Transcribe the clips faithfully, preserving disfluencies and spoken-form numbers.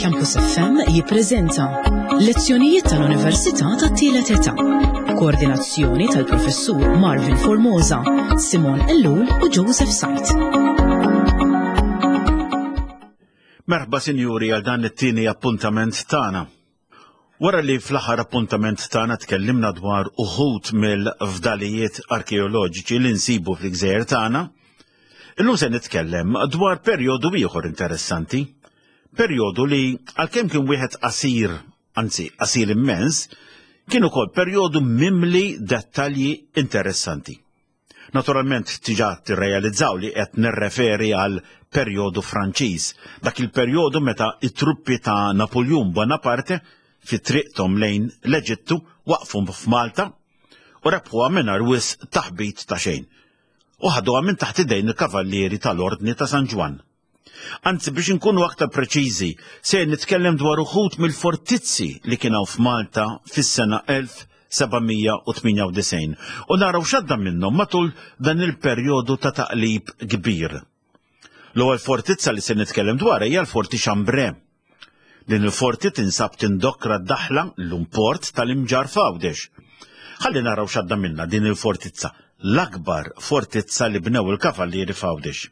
Campus F M jippreżenta Lezzjonijiet tal-Università tat-Tielet Età. Koordinazzjoni tal-Professur Marvin Formosa, Simon Ellul u Joseph Sajt. Merħba, sinjuri, għal dan it-tieni appuntament tagħna. Wara li fl-aħħar appuntament tagħna tkellimna dwar uħud mill-fdalijiet arkeoloġiċi li nsibu fl-gżejjer tagħna, illum se nitkellem dwar perjodu ieħor interessanti. Perjodu li, għalkemm kien wieħed qasir, anzi qasir immens, kien ukoll perjodu mimli dettalji interessanti. Naturalment diġà tirrealizzaw li qed nirreferi għal perjodu Franċiż, dak il-perjodu meta it-truppi ta' Napoleon Bonaparte fi triqthom lejn l-Eġittu waqfu f'Malta u rebħuha mingħajr wisq taħbit ta' xejn. U ħaduha minn taħt idejn il-kavallieri tal-Ordni ta' San Ġwann. Anzi, biex inkunu aktar preċiżi, se nitkellem dwar uħud mill-fortizzi li kienu f'Malta fis-sena elf seba' mija u tmienja u disgħin u naraw x'għadda minnhom matul dan il-perjodu ta' taqlib kbir. L-ewwel fortizza li se nitkellem dwar hija l-Forti Chambray. Din il-forti tinsab tindokra d-daħla l-port tal-Imġarr f'Għawdex. Ħalli naraw x'għadda minna din il-fortizza, l-akbar fortizza li bnew il-kavallieri f'Għawdex.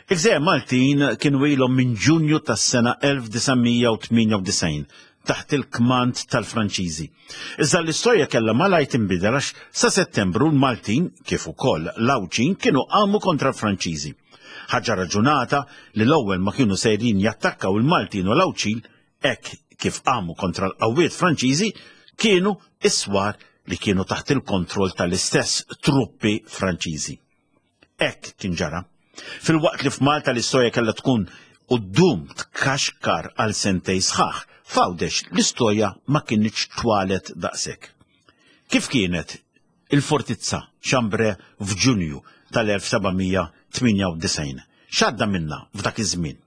Il-Gżejjer Maltin kienu ilhom minn Ġunju tas-sena elf disa' mija u tmienja u disgħin taħt il-kmand tal-Franċiżi. Iżda l-istorja kellha malajr tinbidel, għax sa Settembru l-Maltin, kif ukoll l-Għawdxin, kienu qamu kontra l-Franċiżi. Ħaġa raġunata li l-ewwel ma kienu sejrin jattakkaw il-Maltin u l-Għawdxin hekk kif qamu kontra l-qawwiet Franċiżi kienu is-swar li kienu taħt il-kontroll tal-istess truppi Franċiżi. Hekk kien ġara. Filwaqt li f'Malta l-istorja kellha tkun u ddum tkaxkar għal sentejn sħaħ, f'Għawdex l-istorja ma kinitx twalet daqshekk. Kif kienet il-fortizza Chambray f'Ġunju tal-elf seba' mija u tmienja u disgħin? X'għadda minna f'dak iż-żmien?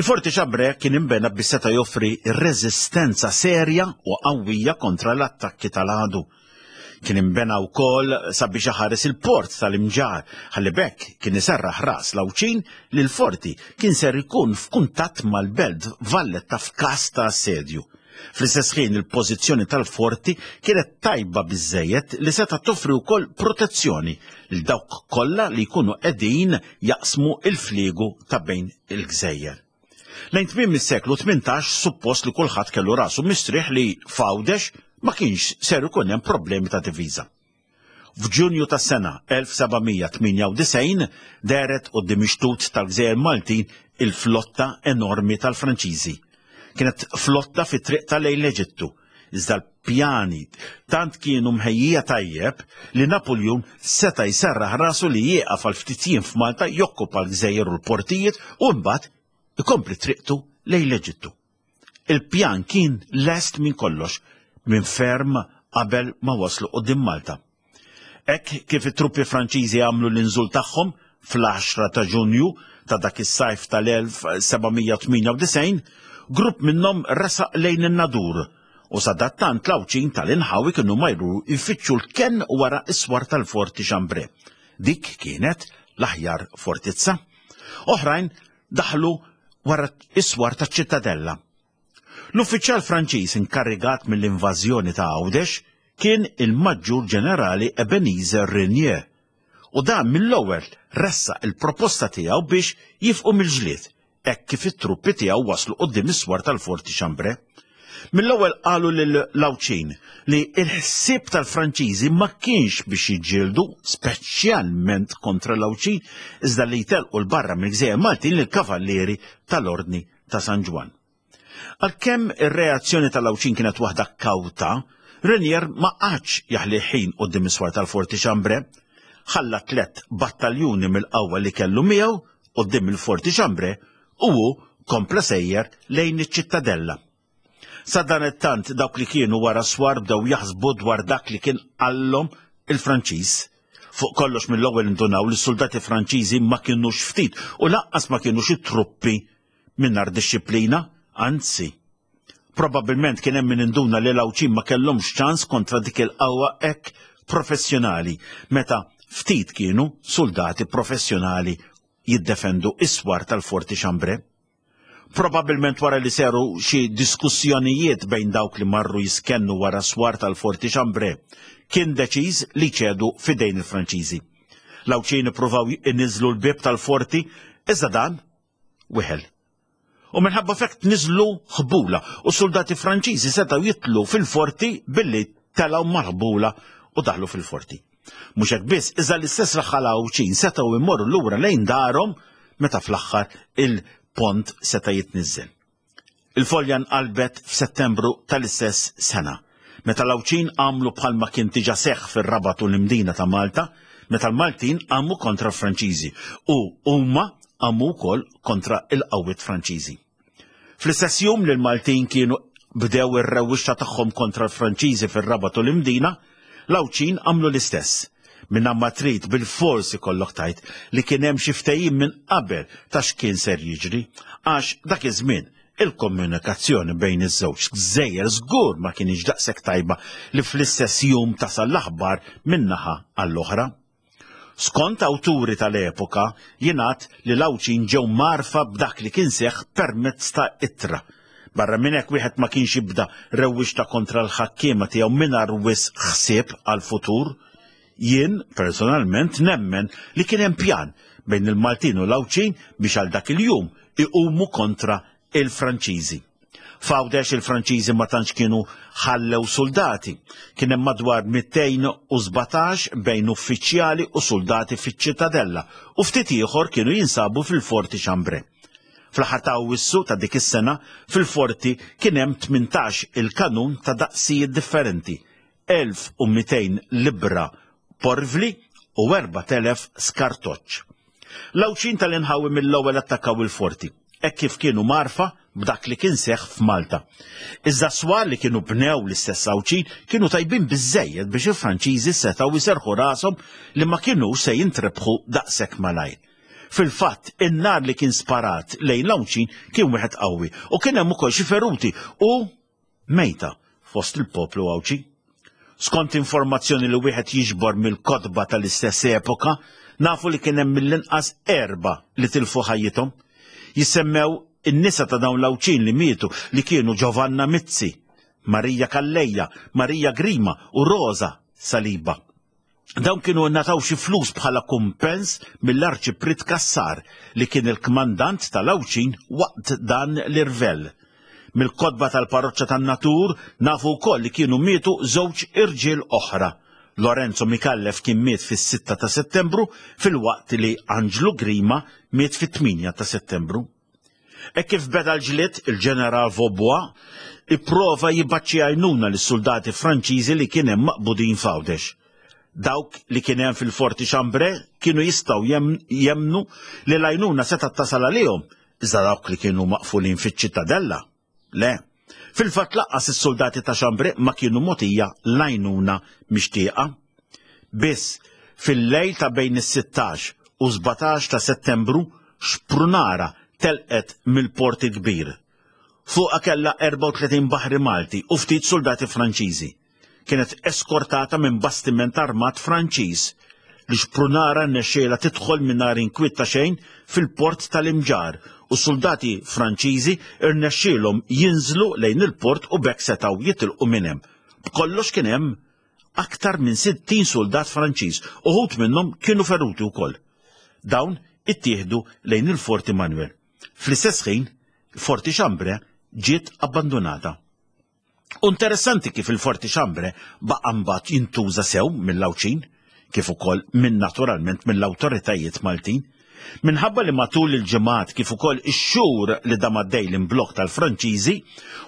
Il-Forti Chambray kien imbena biex seta' joffri reżistenza serja u qawwija kontra l-attakki tal-għadu. Kien imbena wkoll sabiex iħares il-port tal-Imġarr, ħalli b'hekk kien iserraħ ras l-Għawdxin li l-forti kien ser ikun f'kuntatt mal-belt Valletta f'każ ta' assedju. Fl-istess ħin, il-pożizzjoni tal-forti kienet tajba biżejjed li seta' toffri wkoll protezzjoni lil dawk kollha li jkunu qegħdin jaqsmu il-fliegu ta' bejn il-gżejjer. Lejn tmiem is-seklu tmintax suppost li kulħadd kellu rasu mistrieħ li f'Għawdex ma kienx ser ikun hemm problemi ta' diviża. F'Ġunju tas-sena elf seba' mija u tmienja u disgħin dehret quddiem ix-xtut tal-Gżejjer Maltin il-flotta enormi tal-Franċiżi. Kienet flotta fi triqtha lejn l-Eġittu, iżda l-pjani tant kienu mħejjija tajjeb li Napoleon seta' jserraħ rasu li jieqaf għal ftit jiem f'Malta, jokkupa l-gżejjer u l-portijiet u mbagħad ikompli triqtu lejn l-Eġittu. Il-pjan kien lest minn kollox minn ferm qabel ma waslu quddiem Malta. Hekk kif it-truppi Franċiżi għamlu l-inżul tagħhom fl-għaxra ta' Ġunju ta' dak is-sajf tal-elf seba' mija u tmienja u disgħin, grupp minnhom resaq lejn in-Nadur u sadattant l-Għawdxin tal-inħawi kienu marru jfittxu l-ken wara is-swar tal-Forti Chambray. Dik kienet l-aħjar fortizza. Oħrajn daħlu wara is-swar taċ-Ċittadella. L-uffiċjal Franċiż inkarigat mill-invażjoni ta' Għawdex kien il-Maġġur Ġenerali Ebenezer Reynier u dan mill-ewwel ressaq il-proposta tiegħu biex jieqfu mill-ġlied hekk kif it-truppi tiegħu waslu quddiem is-swar tal-Forti Chambray. Mill-ewwel qalu lill-Għawdxin li il-ħsieb tal-Franċiżi ma kienx biex jiġġieldu speċjalment kontra l-Għawdxin, iżda li jtelqu 'l barra mill-Gżejjer Maltin lill-kavallieri tal-Ordni ta' San Ġwann. Għalkemm ir-reazzjoni tal-Għawdxin kienet waħda kawta, Reynier ma qagħadx jaħli ħin quddiem is-swar tal-Forti Chambray, ħalla tlet battaljuni mill-qawwa li kellu miegħu quddiem il-Forti Chambray u hu kompla sejjer lejn iċ-Ċittadella. Sadanittant, dawk li kienu wara swar bdew jaħsbu dwar dak li kien qallhom il-Franċiż. Fuq kollox, mill-ewwel indunaw li s-soldati Franċiżi ma kienux ftit u lanqas ma kienu xi truppi mingħajr dixxiplina, anzi. Probabilment kien hemm min induna li l-Għawdxin ma kellhomx ċans kontra dik il-qawwa hekk professjonali, meta ftit kienu soldati professjonali jiddefendu is-swar tal-Forti Chambray. Probabilment wara li seru xi diskussjonijiet bejn dawk li marru jiskennu wara swar tal-Forti Chambray, kien deċiż li ċedu fidejn il-Franċiżi. L-Għawdxin ippruvaw iniżlu l-bieb tal-forti, iżda dan weħel. U minħabba f'hekk tniżlu ħbula u soldati Franċiżi setgħu jitlu fil-forti billi telgħu mal-ħbula u daħlu fil-forti. Mhux hekk biss, iżda l-istess raħħala Għawdxin setgħu jmorru lura lejn darhom meta fl-aħħar il-pont seta' jitniżżel. Il-folja nqalbet f'Settembru tal-istess sena, meta l-Għawdxin għamlu bħalma kien diġà seħħ fir-Rabat u l-Imdina ta' Malta, meta l-Maltin għamu kontra l-Franċiżi u huma għamu wkoll kontra il-qawwiet Franċiżi. Fl-istess jum li l-Maltin kienu bdew ir-rewwixta tagħhom kontra l-Franċiżi fir-Rabat u l-Imdina, l-Għawdxin għamlu l-istess. Minna ma trid bil-forsi kollok tajt li kien hemm xi ftehim minn qabel ta' x'kien ser jiġri, għax dak iż-żmien il-komunikazzjoni bejn iż-żewġ gżejjer żgur ma kienx daqshekk tajba li fl-istess jum tasal l-aħbar minn naħa għall-oħra. Skont awturi tal-epoka jingħad li l-Għawdxin ġew marfa b'dak li kien seħħ permezz ta' ittra. Barra minn hekk wieħed ma kienx jibda rewwixta kontra l-ħakkiema tiegħu mingħajr wisq ħsieb għall-futur. Jien personalment nemmen li kien hemm pjan bejn il-Maltin u l-Għawdxin biex għal dak il-jum iqumu kontra il-Franċiżi. F'Għawdex il-Franċiżi ma tantx kienu ħallew soldati. Kien hemm madwar mitejn u sbatax bejn uffiċjali u soldati fiċ-ċittadella u ftit ieħor kienu jinsabu fil-Forti Chambray. Fl-aħħar ta' Awwissu ta' dik is-sena fil-forti kien hemm tmintax il-kanun ta' daqsijiet differenti, elf u mitejn libra porvli u erbat elef skartoċċ. L-Għawdxin tal-inħawi mill-ewwel attakkaw il-forti, hekk kif kienu marfa b'dak li kien seħħ f'Malta. Iżda swar li kienu bnew l-istess Għawdxin kienu tajbin biżżejjed biex il-Franċiżi setgħu jserħu rashom li ma kinux se jintrebħu daqshekk malajr. Fil-fatt, in-nar li kien sparat lejn l-Għawdxin kien wieħed qawwi u kien hemm ukoll xi feruti u mejta fost il-poplu Għawdxi. Skont informazzjoni li wieħed jiġbor mill-kotba tal-istess epoka, nafu li kien hemm mill-inqas erba' li tilfu ħajjithom. Jissemmew in-nisa ta' dawn l-Għawdxin li mietu li kienu Giovanna Mizzi, Marija Calleja, Marija Grima u Rosa Saliba. Dawn kienu nataw xi flus bħala kumpens mill-Arċiprit Cassar li kien il-kmandant tal-Għawdxin waqt dan l-irvell. Mill-kotba tal-parroċċa tan-Natur nafu wkoll li kienu mietu żewġ irġiel oħra. Lorenzo Micallef kien miet fis-sitta ta' Settembru filwaqt li Anġlu Grima miet fit-tminja ta' Settembru. E kif beda l-ġlied, il-ġeneral Vaubois ipprova jibgħat xi għajnuna lis-soldati Franċiżi li kien hemm maqbudin f'Għawdex. Dawk li kien hemm fil-Forti Chambray kienu jistgħu jemnu li l-għajnuna setgħet tasal għalihom, iżda dawk li kienu maqfulin fiċ-ċittadella, le. Fil-fatt laqqas is-soldati ta' Chambray ma kienu mogħtija l-għajnuna mixtieqa. Biss fil-lejl ta' bejn is-sittax u sbatax ta' Settembru xprunara telqet mill-Port il-Kbir. Fuqha kellha erbgħa u tletin baħri Malti u ftit soldati Franċiżi. Kienet eskortata minn bastiment armat Franċiż li xprunara rnexxielha tidħol mingħajr inkwiet ta' xejn fil-port tal-Imġarr u soldati Franċiżi rnexxielhom jinżlu lejn il-port u b'hekk setgħu jitilqu minn hemm. B'kollox kien hemm aktar minn sittin soldat Franċiż, uħud minnhom kienu feruti wkoll. Dawn ittieħdu lejn il-Forti Manuel. Fl-istess ħin, Forti Chambray ġiet abbandonata. U interessanti kif il-Forti Chambray baqa' mbagħad jintuża sew mill-Għawdxin, kif ukoll minn naturalment mill-awtoritajiet Maltin. Minħabba li matul il-ġimgħat kif ukoll ix-xhur li dam għaddej l-imblokk tal-Franċiżi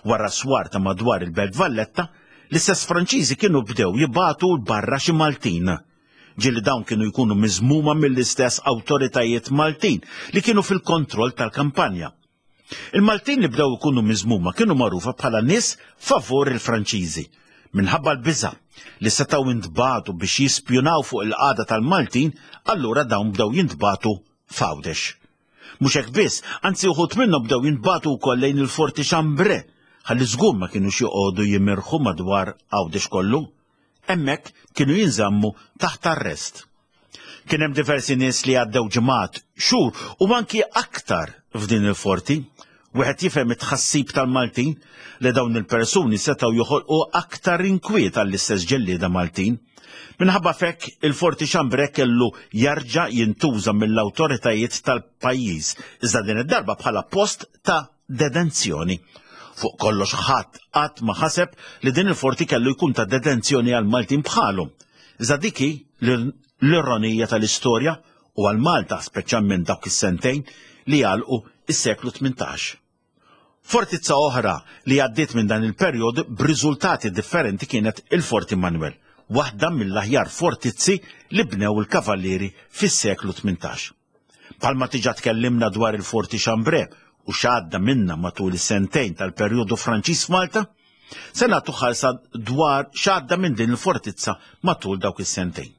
wara swar ta' madwar il-Belt Valletta, l-istess Franċiżi kienu bdew jibagħtu barra xi Maltin. Ġieli dawn kienu jkunu miżmuma mill-istess awtoritajiet Maltin li kienu fil-kontroll tal-kampanja. Il-Maltin li bdew ikunu miżmuma kienu magħrufa bħala nies favur il-Franċiżi. Minħabba l-biża' li setgħu jintbagħtu biex jispjunaw fuq il-qagħda tal-Maltin, allura dawn bdew jintbagħtu f'Għawdex. Mhux hekk biss, anzi uħud minnhom bdew jintbagħtu wkoll lejn il-Forti Chambray, ħalli żgur ma kinux joqogħdu jimirħu madwar Għawdex kollu. Hemmhekk kienu jinżammu taħt arrest. Kien hemm diversi nies li għaddew ġimgħat, xhur u anki aktar f'din il-forti. Wieħed jifhem it-tħassib tal-Maltin li dawn il-persuni setgħu joħolqu aktar inkwiet għall-istess ġellieda Maltin. Minħabba f'hekk il-Forti Chambray kellu jarġa' jintuża mill-awtoritajiet tal-pajjiż, iżda din id-darba bħala post ta' detenzjoni. Fuq kollox ħadd qatt ma ħaseb li din il-forti kellu jkun ta' detenzjoni għal Maltin bħalu. Iżda dik hi l-ironija tal-istorja u għal Malta speċjalment dawk is-sentejn li għalqu is-seklu tmintax. Fortizza oħra li għaddiet minn dan il-perjodu b'riżultati differenti kienet il-Forti Manuel, waħda mill-aħjar fortizzi li bnew il-kavallieri fis-seklu tmintax. Palma tiġa tkellimna dwar il-Forti Chambray u x'għadda minna matul is-sentejn tal-perjodu Franċiż f'Malta, se nagħtu ħarsa dwar x'għadda minn din il-fortizza matul dawk is-sentejn.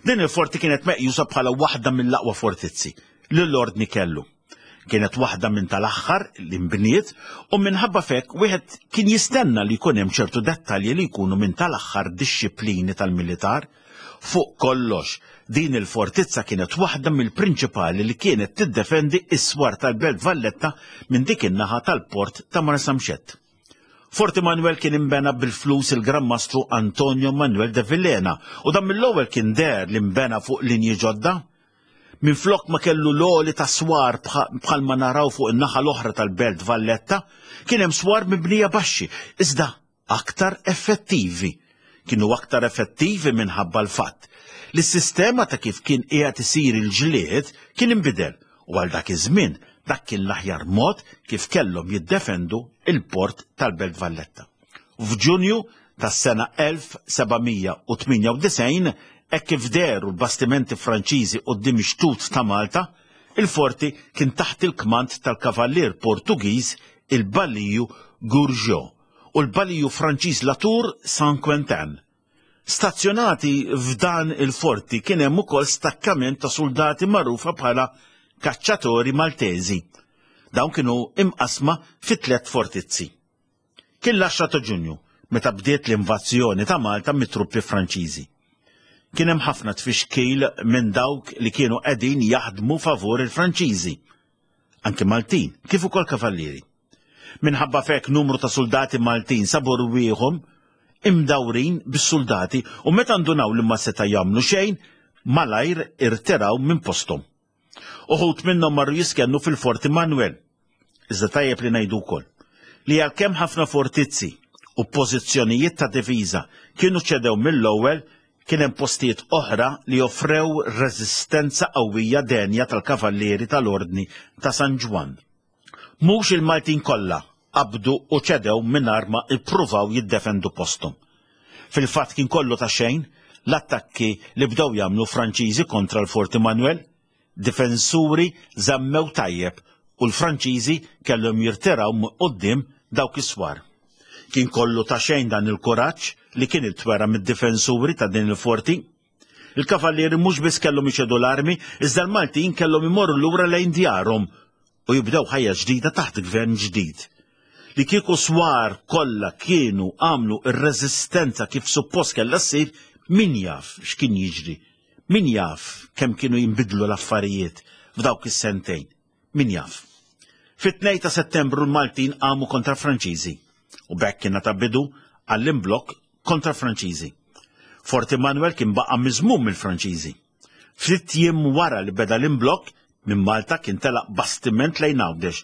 Din il-forti kienet meqjusa bħala waħda mill-aqwa fortizzi li l-ordni kellu. Kienet waħda minn tal-aħħar li nbniet u minħabba fek wieħed kien jistenna li jkun hemm ċertu dettalji li jkunu minn tal-aħħar dixxiplini tal-militar. Fuq kollox, din il-fortizza kienet waħda mill-prinċipali li kienet tiddefendi s-swar tal-Belt Valletta minn dik in-naħa tal-port ta' Marsamxett. Forti Manuel kien imbena bil-flus il-Gran Mastru Antonio Manuel de Villena u dan mill-ewwel kien deher li nbena fuq linji ġodda. Minflok ma kellu l-għoli ta' swar bħalma naraw fuq in-naħa l-oħra tal-Belt Valletta, kien hemm swar mibnija baxxi, iżda aktar effettivi. Kienu aktar effettivi minħabba l-fatt li s-sistema ta' kif kien qiegħed isir il-ġlied kien inbidel u għal dak iż-żmien dak kien l-aħjar mod kif kellhom jiddefendu il-port tal-Belt Valletta. F'Ġunju tas-sena elf sebgħamija u tmienja u disgħin, hekk kif dehru l-bastimenti Franċiżi quddiem ix-xtut ta' Malta, il-forti kien taħt il-kmand tal-kavallier Portugiż il-Baliju Gourgeot u l-Baliju Franċiż Latour Saint-Quentin. Stazzjonati f'dan il-forti kien hemm ukoll stakkament ta' soldati magħrufa bħala kaċċatori Maltesi. Dawn kienu imqasma fi tliet fortizzi. Kien l-għaxra ta' Ġunju meta bdiet l-invażjoni ta' Malta mit-truppi Franċiżi. Kien hemm ħafna tfixkil minn dawk li kienu qegħdin jaħdmu favur il-Franċiżi, anke Maltin, kif ukoll kavallieri. Minħabba f'hekk numru ta' soldati Maltin sabu rwieħhom imdawrin bis-soldati u meta ndunaw li ma seta' jagħmlu xejn, malajr irtiraw minn posthom. Uħud minnhom marru jiskennu fil-Forti Manuel. Iżda tajjeb li ngħidu wkoll li għalkemm ħafna fortizzi u pożizzjonijiet ta' diviża kienu ċedew mill-ewwel, kien hemm postijiet oħra li offrew reżistenza qawwija denja tal-kavallieri tal-Ordni ta' San Ġwann. Mhux il-Maltin kollha qabdu u ċedew mingħajr ma ippruvaw jiddefendu posthom. Fil-fatt kien kollu ta' xejn l-attakki li bdew jagħmlu Franċiżi kontra l-Forti Manuel, difensuri żammew tajjeb u l-Franċiżi kellhom jirtiraw quddiem dawk is-swar. Kien kollu ta' xejn dan il-kuraġġ li kien intwera mid-difensuri ta' din il-forti. Il-kavallieri mhux biss kellhom iċedu l-armi, iżda l-Maltin kellhom imorru lura lejn djarhom u jibdew ħajja ġdida taħt gvern ġdid. Li kieku swar kollha kienu għamlu r-reżistenza kif suppost kellha ssir, min jaf x'kien jiġri, min jaf kemm kienu jinbidlu l-affarijiet f'dawk is-sentejn, min jaf. Fit-tnejn ta' Settembru l-Maltin qamu kontra Franċiżi u b'hekk kien ta' bidu għall-imblokk kontra Franċiżi. Forti Manuel kien baqa' miżmum mill-Franċiżi. Ftit jiem wara li beda l-imblokk, minn Malta kien telaq bastiment lejn Għawdex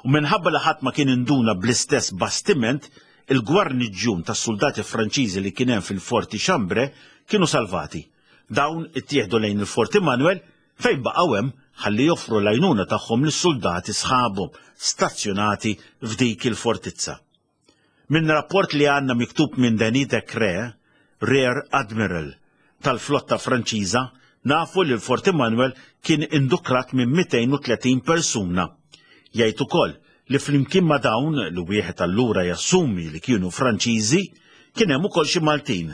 u minħabba li ħadd ma kien induna bl-istess bastiment, il-gwarniġġjun tas-soldati Franċiżi li kien hemm fil-Forti Chambray kienu salvati. Dawn ittieħdu lejn il-Forti Manuel fejn baqgħu hemm ħalli joffru l-għajnuna tagħhom lis-soldati sħabhom stazzjonati f'dik il-fortizza. Minn rapport li għandna miktub minn Denis Decré, Rear Admiral tal-flotta Franċiża, nafu li l-Forti Manuel kien indukrat minn mitejn u tletin persuna. Jgħid ukoll li flimkien ma' dawn li wieħed allura jassumi li kienu Franċiżi, kien hemm ukoll xi Maltin.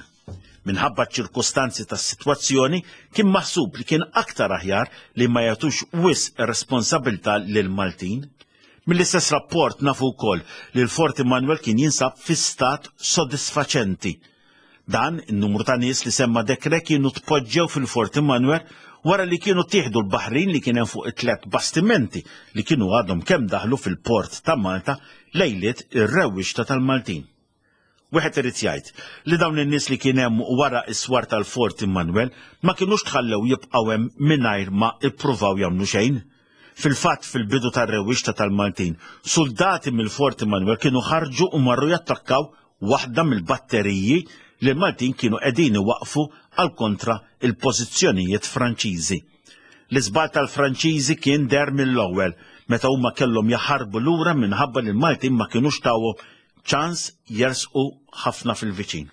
Minħabba ċ-ċirkustanzi tas-sitwazzjoni kien maħsub li kien aktar aħjar li ma jagħtux wisq responsabilità lil Maltin. Mill-istess rapport nafu wkoll li l-Forti Manuel kien jinsab fi stat sodisfaċenti. Dan in-numru ta' nies li semma Decré kienu tpoġġew fil-Forti Manuel wara li kienu tieħdu l-baħrin li kien hemm fuq it-tliet bastimenti li kienu għadhom kemm daħlu fil-port ta' Malta lejliet ir-rewwixta tal-Maltin. Wieħed irid jgħid li dawn in-nies li kien hemm wara s-swar tal-Fort Immanuel ma kinux tħallew jibqgħu hemm mingħajr ma ippruvaw jagħmlu xejn. Fil-fatt, fil-bidu tar-rewwixta tal-Maltin, suldati mill-Fort Immanuel kienu ħarġu u marru jattakkaw waħda mill-batteriji li l-Maltin kienu qegħdin iwaqqfu għal kontra il-pożizzjonijiet Franċiżi. L-iżball tal-Franċiżi kien deher mill-ewwel meta huma kellhom jaħarbu lura minħabba li l-Maltin ma kinux tawhom ċans jersqu ħafna fil-viċin.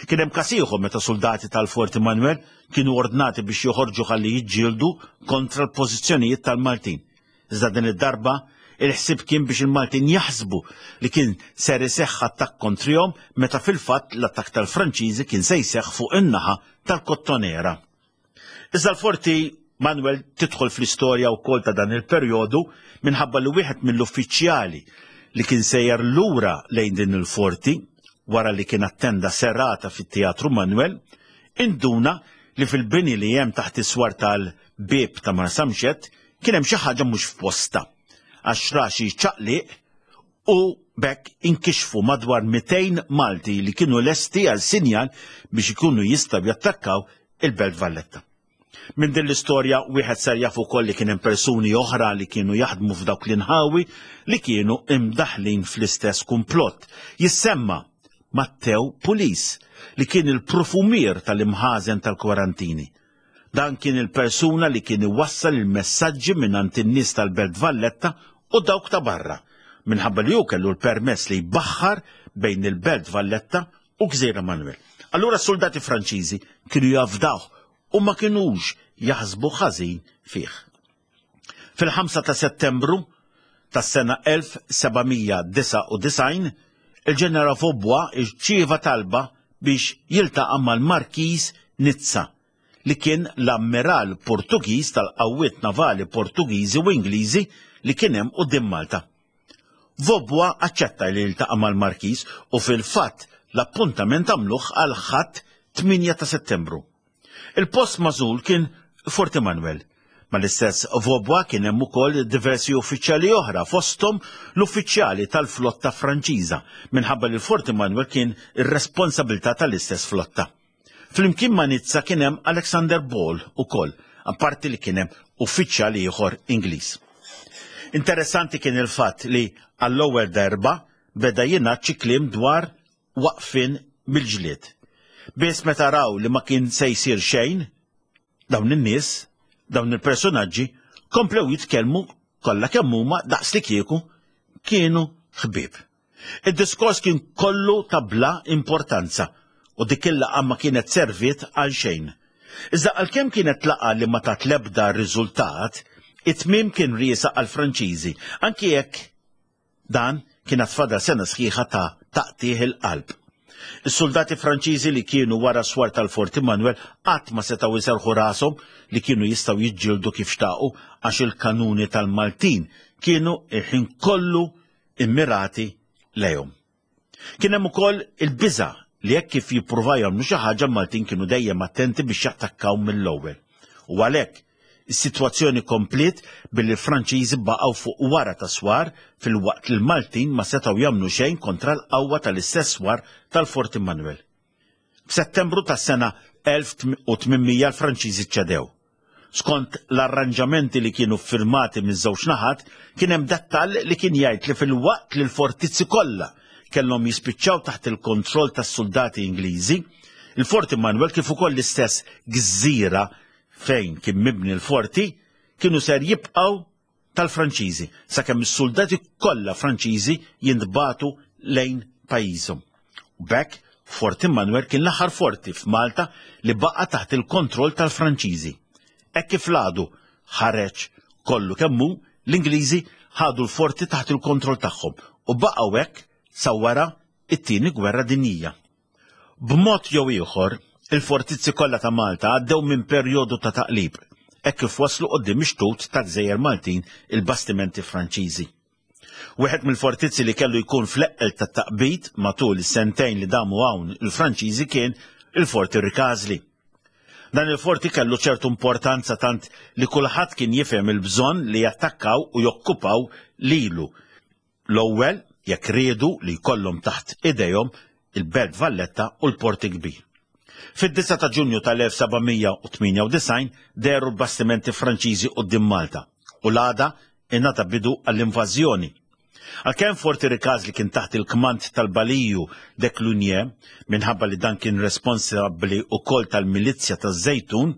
Kien hemm każ ieħor meta suldati tal-Fort Immanuel kienu ordnati biex joħorġu ħalli jiġġieldu kontra l-pożizzjonijiet tal-Maltin. Iżda din id-darba il-ħsieb kien biex il-Maltin jaħsbu li kien ser iseħħ attakk kontrihom meta fil-fatt l-attakk tal-Franċiżi kien se jseħħ fuq in-naħa tal-Kottonera. Iżda l-Forti Manuel tidħol fl-istorja wkoll ta' dan il-perjodu minħabba li wieħed mill-uffiċjali li kien sejjer lura lejn din il-forti wara li kien attenda serata fit-Teatru Manuel, induna li fil-bini li hemm taħt is-swar tal-bieb ta' Marsamxett kien hemm xi ħaġa mhux f'posta, għax ra xi ċaqliq u b'hekk inkixfu madwar mitejn Malti li kienu lesti għal sinjal biex ikunu jistgħu jattakkaw il-Belt Valletta. Minn din l-istorja wieħed ser jaf ukoll li kien hemm persuni oħra li kienu jaħdmu f'dawk l-inħawi li kienu imdaħlin fl-istess kumplott. Jissemma Matteo Pulis, li kien il-profumier tal-imħażen tal-kwarantini. Dan kien il-persuna li kien iwassal il-messaġġi mingħand in-nies tal-Belt Valletta u dawk ta' barra, minħabba li hu kellu l-permess li jbaħħar bejn il-Belt Valletta u Gżira Manuel. Allura s-soldati Franċiżi kienu jafdawh u ma kinux jaħsbu ħażin fih. Fil-ħamsa ta' Settembru tas-sena elf seba' mija disgħa u disgħin, il-ġeneral Vaubois irċieva talba biex jiltaqa' mal-Markiż Nizza, li kien l-ammiral Portugiż tal-qawwiet navali Portugiżi u Ingliżi li kien hemm quddiem Malta. Vaubois aċċetta li jiltaqa' mal-Markiż u fil-fatt l-appuntament għamluh għal Ħadd tmienja ta' Settembru. Il-post magħżul kien Fort Emanuel. Mal-istess Vaubois kien hemm ukoll diversi uffiċjali oħra, fosthom l-uffiċjali tal-flotta Franċiża, minħabba li l-Fort Emanuel kien ir-responsabilità tal-istess flotta. Flimkien ma' Nizza kien hemm Alexander Ball ukoll, apparti li kien hemm uffiċjali ieħor Ingliż. Interessanti kien il-fatt li għall-ewwel darba beda jingħad xi kliem dwar waqfien mill-ġlied. Biss meta raw li ma kien se jsir xejn, dawn in-nies, dawn il-personaġġi, komplew jitkellmu kollha kemm huma daqs li kieku kienu ħbieb. Id-diskors kien kollu ta' bla importanza u dik il-laqgħa ma kienet serviet għal xejn. Iżda għalkemm kienet laqgħa li ma tat l-ebda riżultat, it-tmiem kien riesaq għall-Franċiżi, anki jekk dan kien għad fadal sena sħiħa ta' taqtigħ il-qalb. Is-soldati Franċiżi li kienu wara swar tal-Fort Immanuel qatt ma setgħu jserħu rashom li kienu jistgħu jiġġieldu kif xtaqu għax il-kanuni tal-Maltin kienu il-ħin kollu immirati lejhom. Kien hemm ukoll il-biża' li hekk kif jippruvaw jagħmlu xi ħaġa l-Maltin kienu dejjem attenti biex jattakkaw mill-ewwel. U għalhekk is-sitwazzjoni kompliet billi l-Franċiżi baqgħu fuq wara ta' swar fil-waqt li l-Maltin ma setgħu jagħmlu xejn kontra l-qawwa tal-istess swar tal-Fort Immanuel. F'Settembru tas-sena elf u tmien mija l-Franċiżi ċedew. Skont l-arranġamenti li kienu ffirmati miż-żewġ naħat, kien hemm dettall li kien jgħid li fil-waqt li l-fortizzi kollha kellhom jispiċċaw taħt il-kontroll tas-soldati Ingliżi, il-Fort Immanuel kif ukoll l-istess gżira fejn kien mibni l-forti kienu ser jibqgħu tal-Franċiżi sakemm is-soldati kollha Franċiżi jintbagħtu lejn pajjiżhom. U b'hekk Fort Immanuel kien l-aħħar forti f'Malta li baqa' taħt il-kontroll tal-Franċiżi. Hekk kif l-għadu ħareġ kollu kemm hu, l-Ingliżi ħadu l-forti taħt il-kontroll tagħhom u baqgħu hekk sa wara it-tieni gwerra dinjija. B'mod jew ieħor, il-fortizzi kollha ta' Malta għaddew minn perjodu ta' taqlib, hekk kif waslu quddiem ix-xtut ta' gżejjer Maltin il-bastimenti Franċiżi. Wieħed mill-fortizzi li kellu jkun fl-eqqel ta' taqbid matul is-sentejn li damu hawn il-Franċiżi kien il-Forti Rikażli. Dan il-forti kellu ċertu importanza tant li kulħadd kien jifhem il-bżonn li jattakkaw u jokkupaw lilu. L-ewwel jekk riedu li jkollhom taħt idejhom il-Belt Valletta u l-Port il-Kbir. Fid-disgħa ta' Ġunju tal-elf seba' mija u tmienja u disgħin dehru l-bastimenti Franċiżi quddiem Malta u l-għada ingħata bidu għall-invażjoni. Għalkemm Forti Ricasoli kien taħt il-kmand tal-Baliju de Clugny, minħabba li dan kien responsabbli wkoll tal-milizzja taż-Żejtun,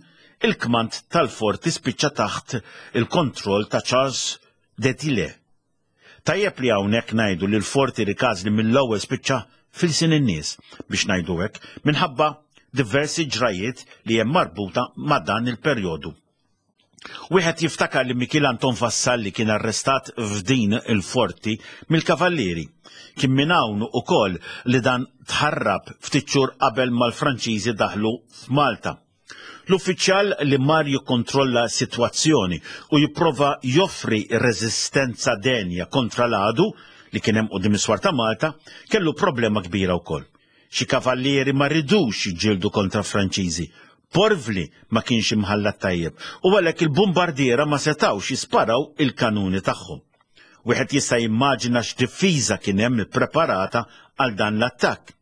il-kmand tal-forti spiċċa taħt il-kontroll ta' Charles de Tilly. Tajjeb li hawnhekk ngħidu li l-Forti Ricasoli mill-ewwel spiċċa fil-sin in-nies, biex ngħidu hekk, minħabba diversi ġrajiet li hemm marbuta ma' dan il-perjodu. Wieħed jiftakar li Mikiel Anton Vassalli kien arrestat f'din il-forti mill-Kavallieri. Kien minn hawn ukoll li dan tħarrab ftit xhur qabel mal-Franċiżi daħlu f'Malta. L-uffiċjal li mar jikkontrolla s-sitwazzjoni u jipprova joffri reżistenza denja kontra l-għadu li kien hemm quddiem is-swar ta' Malta kellu problema kbira wkoll. Xi kavallieri ma ridux jiġġieldu kontra Franċiżi. Porvli ma kienx imħallat tajjeb u għalhekk il-bombardiera ma setgħux jisparaw il-kanuni tagħhom. Wieħed jista' jimmaġina x'difiża kien hemm ippreparata għal dan l-attakk.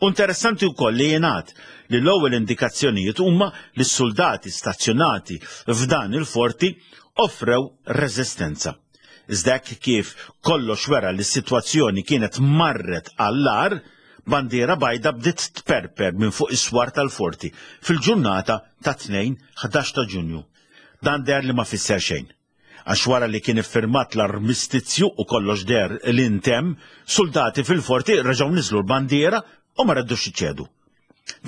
U interessanti wkoll li jingħad li l-ewwel indikazzjonijiet huma li s-soldati stazzjonati f'dan il-forti offrew reżistenza. Iżda hekk kif kollox wera li s-sitwazzjoni kienet marret għall-agħar, bandiera bajda bdiet tperper minn fuq is-swar tal-forti fil-ġurnata ta' tnejn ħdax ta' Ġunju. Dan deher li ma fisser xejn. Għax wara li kien iffirmat l-armistizju u kollox deher li ntemm, soldati fil-forti reġgħu niżlu l-bandiera u ma reddux iċedu.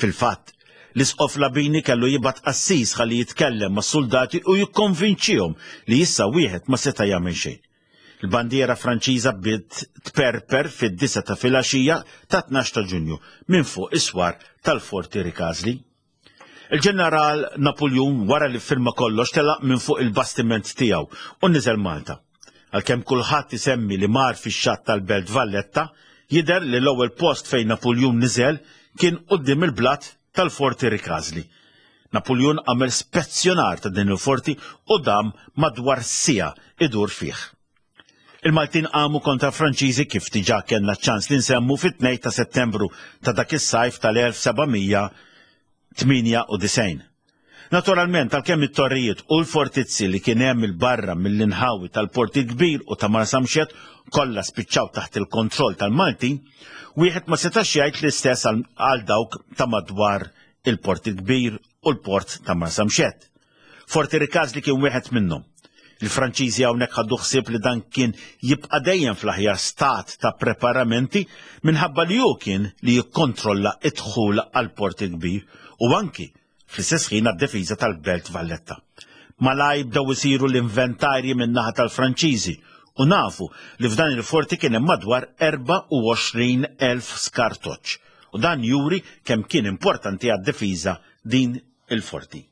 Fil-fatt, l-isqof Labini kellu jibgħat qassis ħalli jitkellem mas-soldati u jikkonvinċihom li issa wieħed ma seta' jagħmel xejn. Il-bandiera Franċiża bdiet tperper fid-disgħa ta' filgħaxija ta' tnax ta' Ġunju minn fuq is-swar tal-Forti Ricasoli. Il-ġeneral Napoleon wara li firma kollox telaq minn fuq il-bastiment tiegħu u niżel Malta. Għalkemm kulħadd isemmi li mar fix-xatt tal-Belt Valletta, jidher li l-ewwel post fejn Napoleon niżel kien quddiem il-blat tal-Forti Ricasoli. Napoleon għamel spezzjonar ta' din il-forti u dam madwar siegħa idur fih. Il-Maltin qamu kontra Franċiżi kif diġà kellna ċans li nsemmu fit-tnejn ta' Settembru ta' dak is-sajf tal-elf seba' mija tmienja u disgħin. Naturalment, għalkemm it-torrijiet u l-fortizzi li kien hemm il-barra mill-inħawi tal-Port il-Kbir u ta' Marsamxett kollha spiċċaw taħt il-kontroll tal-Maltin, wieħed ma setax jgħid l-istess għal, għal dawk ta' madwar il-Port il-Kbir u l-Port ta' Marsamxett. Forti Ricasoli kien wieħed minnhom. Il-Franċiżi hawnhekk ħaddu ħsieb li dan kien jibqa' dejjem fl-aħjar stat ta' preparamenti minħabba li hu kien li jikkontrolla d-dħul għall-Port il-Kbir u anki fl-istess ħin għad-difiża tal-Belt Valletta. Malaj bdew isiru l-inventarji min-naħa tal-Franċiżi u nafu li f'dan il-forti kien hemm madwar erbgħa u għoxrin elf skartoċċ u dan juri kemm kien importanti għad-difiża din il-forti.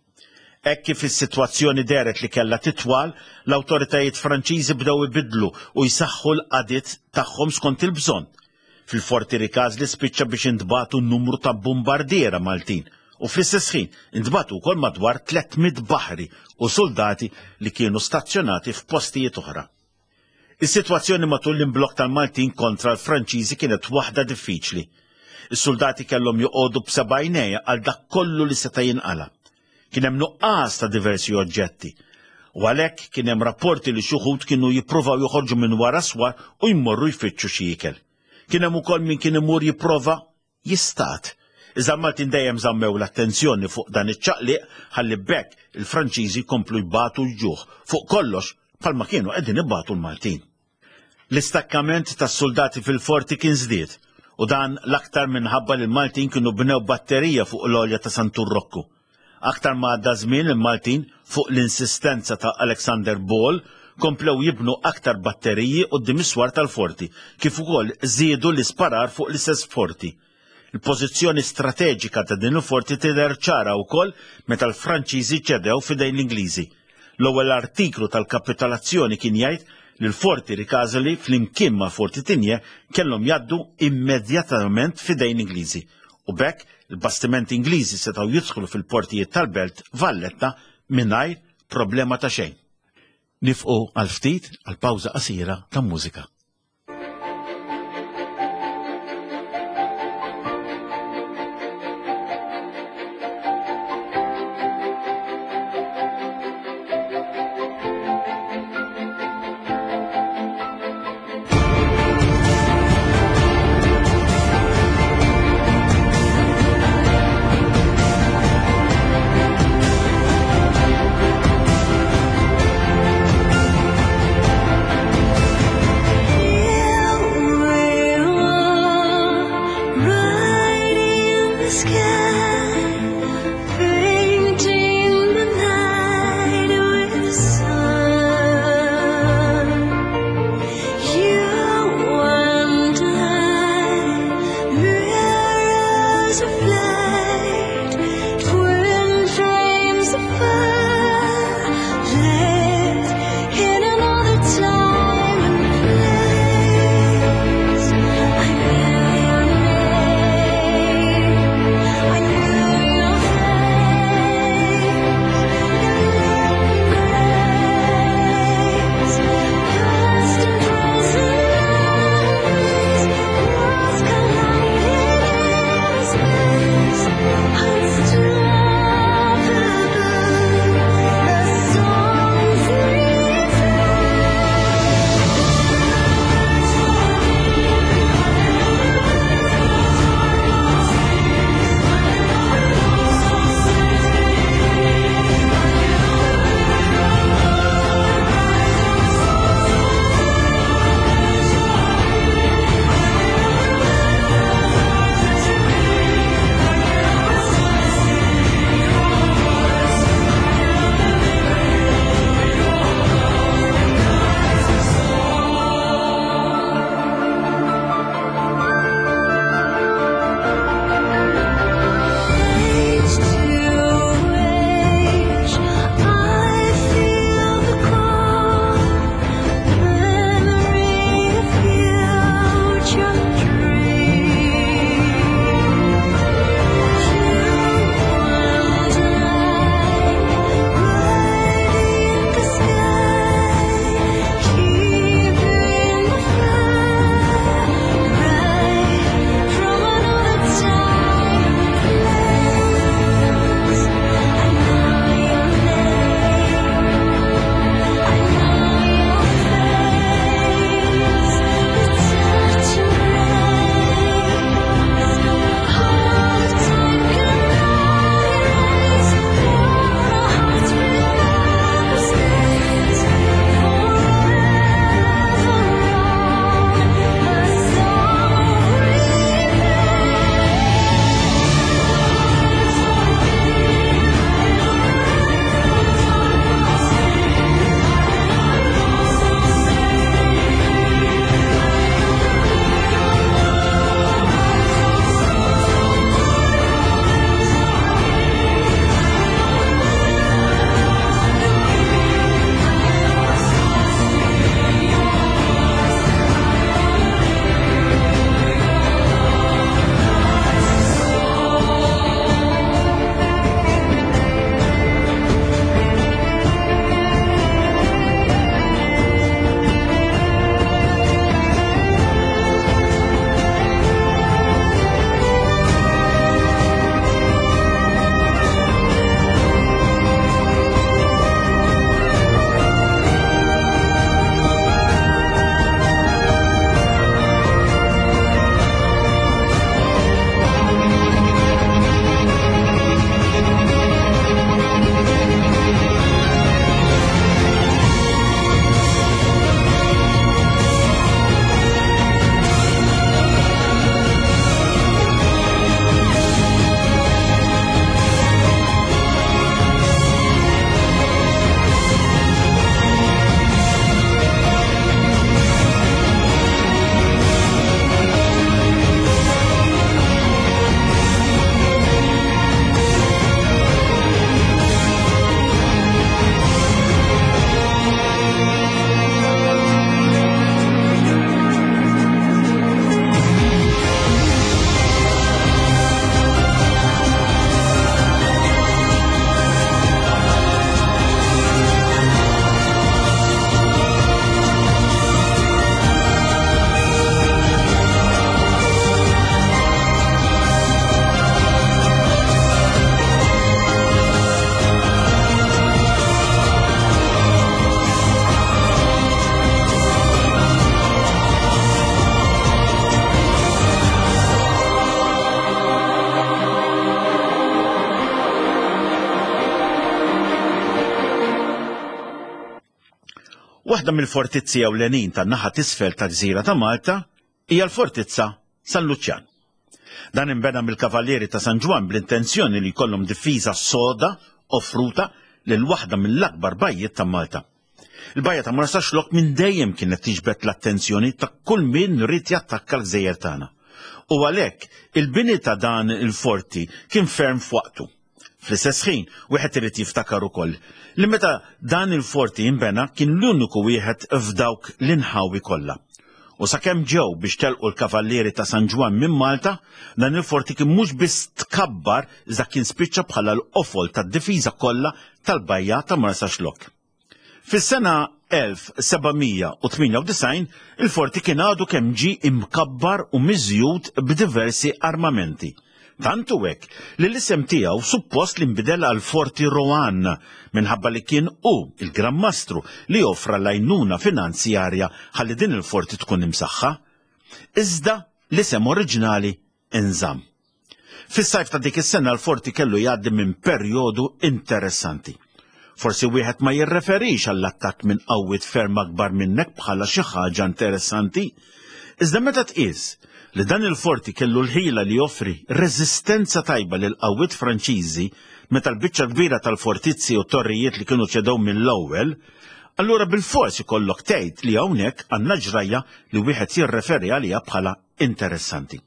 Hekk kif is-sitwazzjoni dehret li kellha titwal, l-awtoritajiet Franċiżi bdew ibidlu u jsaħħu l-qadiet tagħhom skont il-bżonn. Fil-Forti Ricasoli spiċċa biex intbagħtu numru ta' bombardiera Maltin u fl-istess ħin intbagħtu wkoll madwar tliet mitt baħri u soldati li kienu stazzjonati f'postijiet oħra. Is-sitwazzjoni matul l-imblokk tal-Maltin kontra l-Franċiżi kienet waħda diffiċli. Is-soldati kellhom joqogħdu b'seba' għajnejja għal dak kollu li seta' jinqala. Kien hemm nuqqas ta' diversi oġġetti. U għalhekk kien hemm rapporti li xi wħud kienu jippruvaw joħorġu minn wara swar u jmorru jfittxu xi ikel. Kien hemm ukoll min kien imur jipprova jistat. Iżda l-Maltin dejjem żammew l-attenzjoni fuq dan iċ-ċaqliq ħalli b'hekk il-Franċiżi jkomplu jbatu l-ġuħ fuq kollox bħalma kienu qegħdin ibatu l-Maltin. L-istakkament tas-soldati fil-forti kien żdied u dan l-aktar minħabba li l-Maltin kienu bnew batterija fuq l-għolja ta' Santu Rokku. Aktar ma għadda żmien il-Maltin fuq l-insistenza ta' Alexander Ball komplew jibnu aktar batteriji quddiem is-swar tal-forti, kif ukoll żiedu l-isparar fuq l-istess forti. Il-pożizzjoni strateġika ta' din il-forti tidher ċara wkoll meta l-Franċiżi ċedew f'idejn l-Ingliżi. L-ewwel artiklu tal-kapitolazzjoni kien jgħid li l-forti Ricasoli flimkien ma' Forti Tigné kellhom jgħaddu immedjatament f'idejn l-Ingliżi u b'hekk Il-bastimenti Ingliżi setgħu jidħlu fil-portijiet tal-Belt Valletta mingħajr problema ta' xejn. Nieqfu għal ftit għal pawża qasira ta' mużika. Waħda mill-fortizzi ewlenin tan-naħa t'isfel ta' gżira ta' Malta hija l-Fortizza San Luċjan. Dan inbena mill-Kavallieri ta' San Ġwann bl-intenzjoni li jkollhom difiża soda offruta lil waħda mill-akbar bajjiet ta' Malta. Il-bajja ta' Marsaxlokk minn dejjem kienet tiġbed l-attenzjoni ta' kull min ried jattakka l-gżejjer tagħna. U għalhekk il-bini ta' dan il-forti kien ferm f'waqtu. Fl-istess ħin, wieħed irid jiftakar ukoll li meta dan il-forti inbena kien l-uniku wieħed f'dawk l-inħawi kollha. U sakemm ġew biex telqu l-Kavallieri ta' San Ġwann minn Malta, dan il-forti kien mhux biss tkabbar iżda kien spiċċa bħala l-qofol tad-difiża kollha tal-bajja ta' Marsaxlokk. Fis-sena elf seba' mija u tmienja u disgħin il-forti kien għadu kemm ġie imkabbar u miżjud b'diversi armamenti. Tant hu hekk li l-isem tiegħu suppost li nbidel għal Forti Rohan minħabba li kien hu il-Gran Mastru li offra l-għajnuna finanzjarja ħalli din il-forti tkun imsaħħa. Iżda l-isem oriġinali inżamm. Fis-sajf ta' dik is-sena l-forti kellu jgħaddi minn perjodu interessanti. Forsi wieħed ma jirreferix għall-attakk minn qawwiet ferm akbar minnek bħala xi ħaġa interessanti, iżda meta tqis li dan il-forti kellu l-ħila li joffri reżistenza tajba lil qawwiet Franċiżi meta l-biċċa kbira tal-fortizzi u torrijiet li kienu ċedew mill-ewwel, allura bil-fors ikollok tgħid li hawnhekk għandna ġrajja li wieħed jirreferi għaliha bħala interessanti.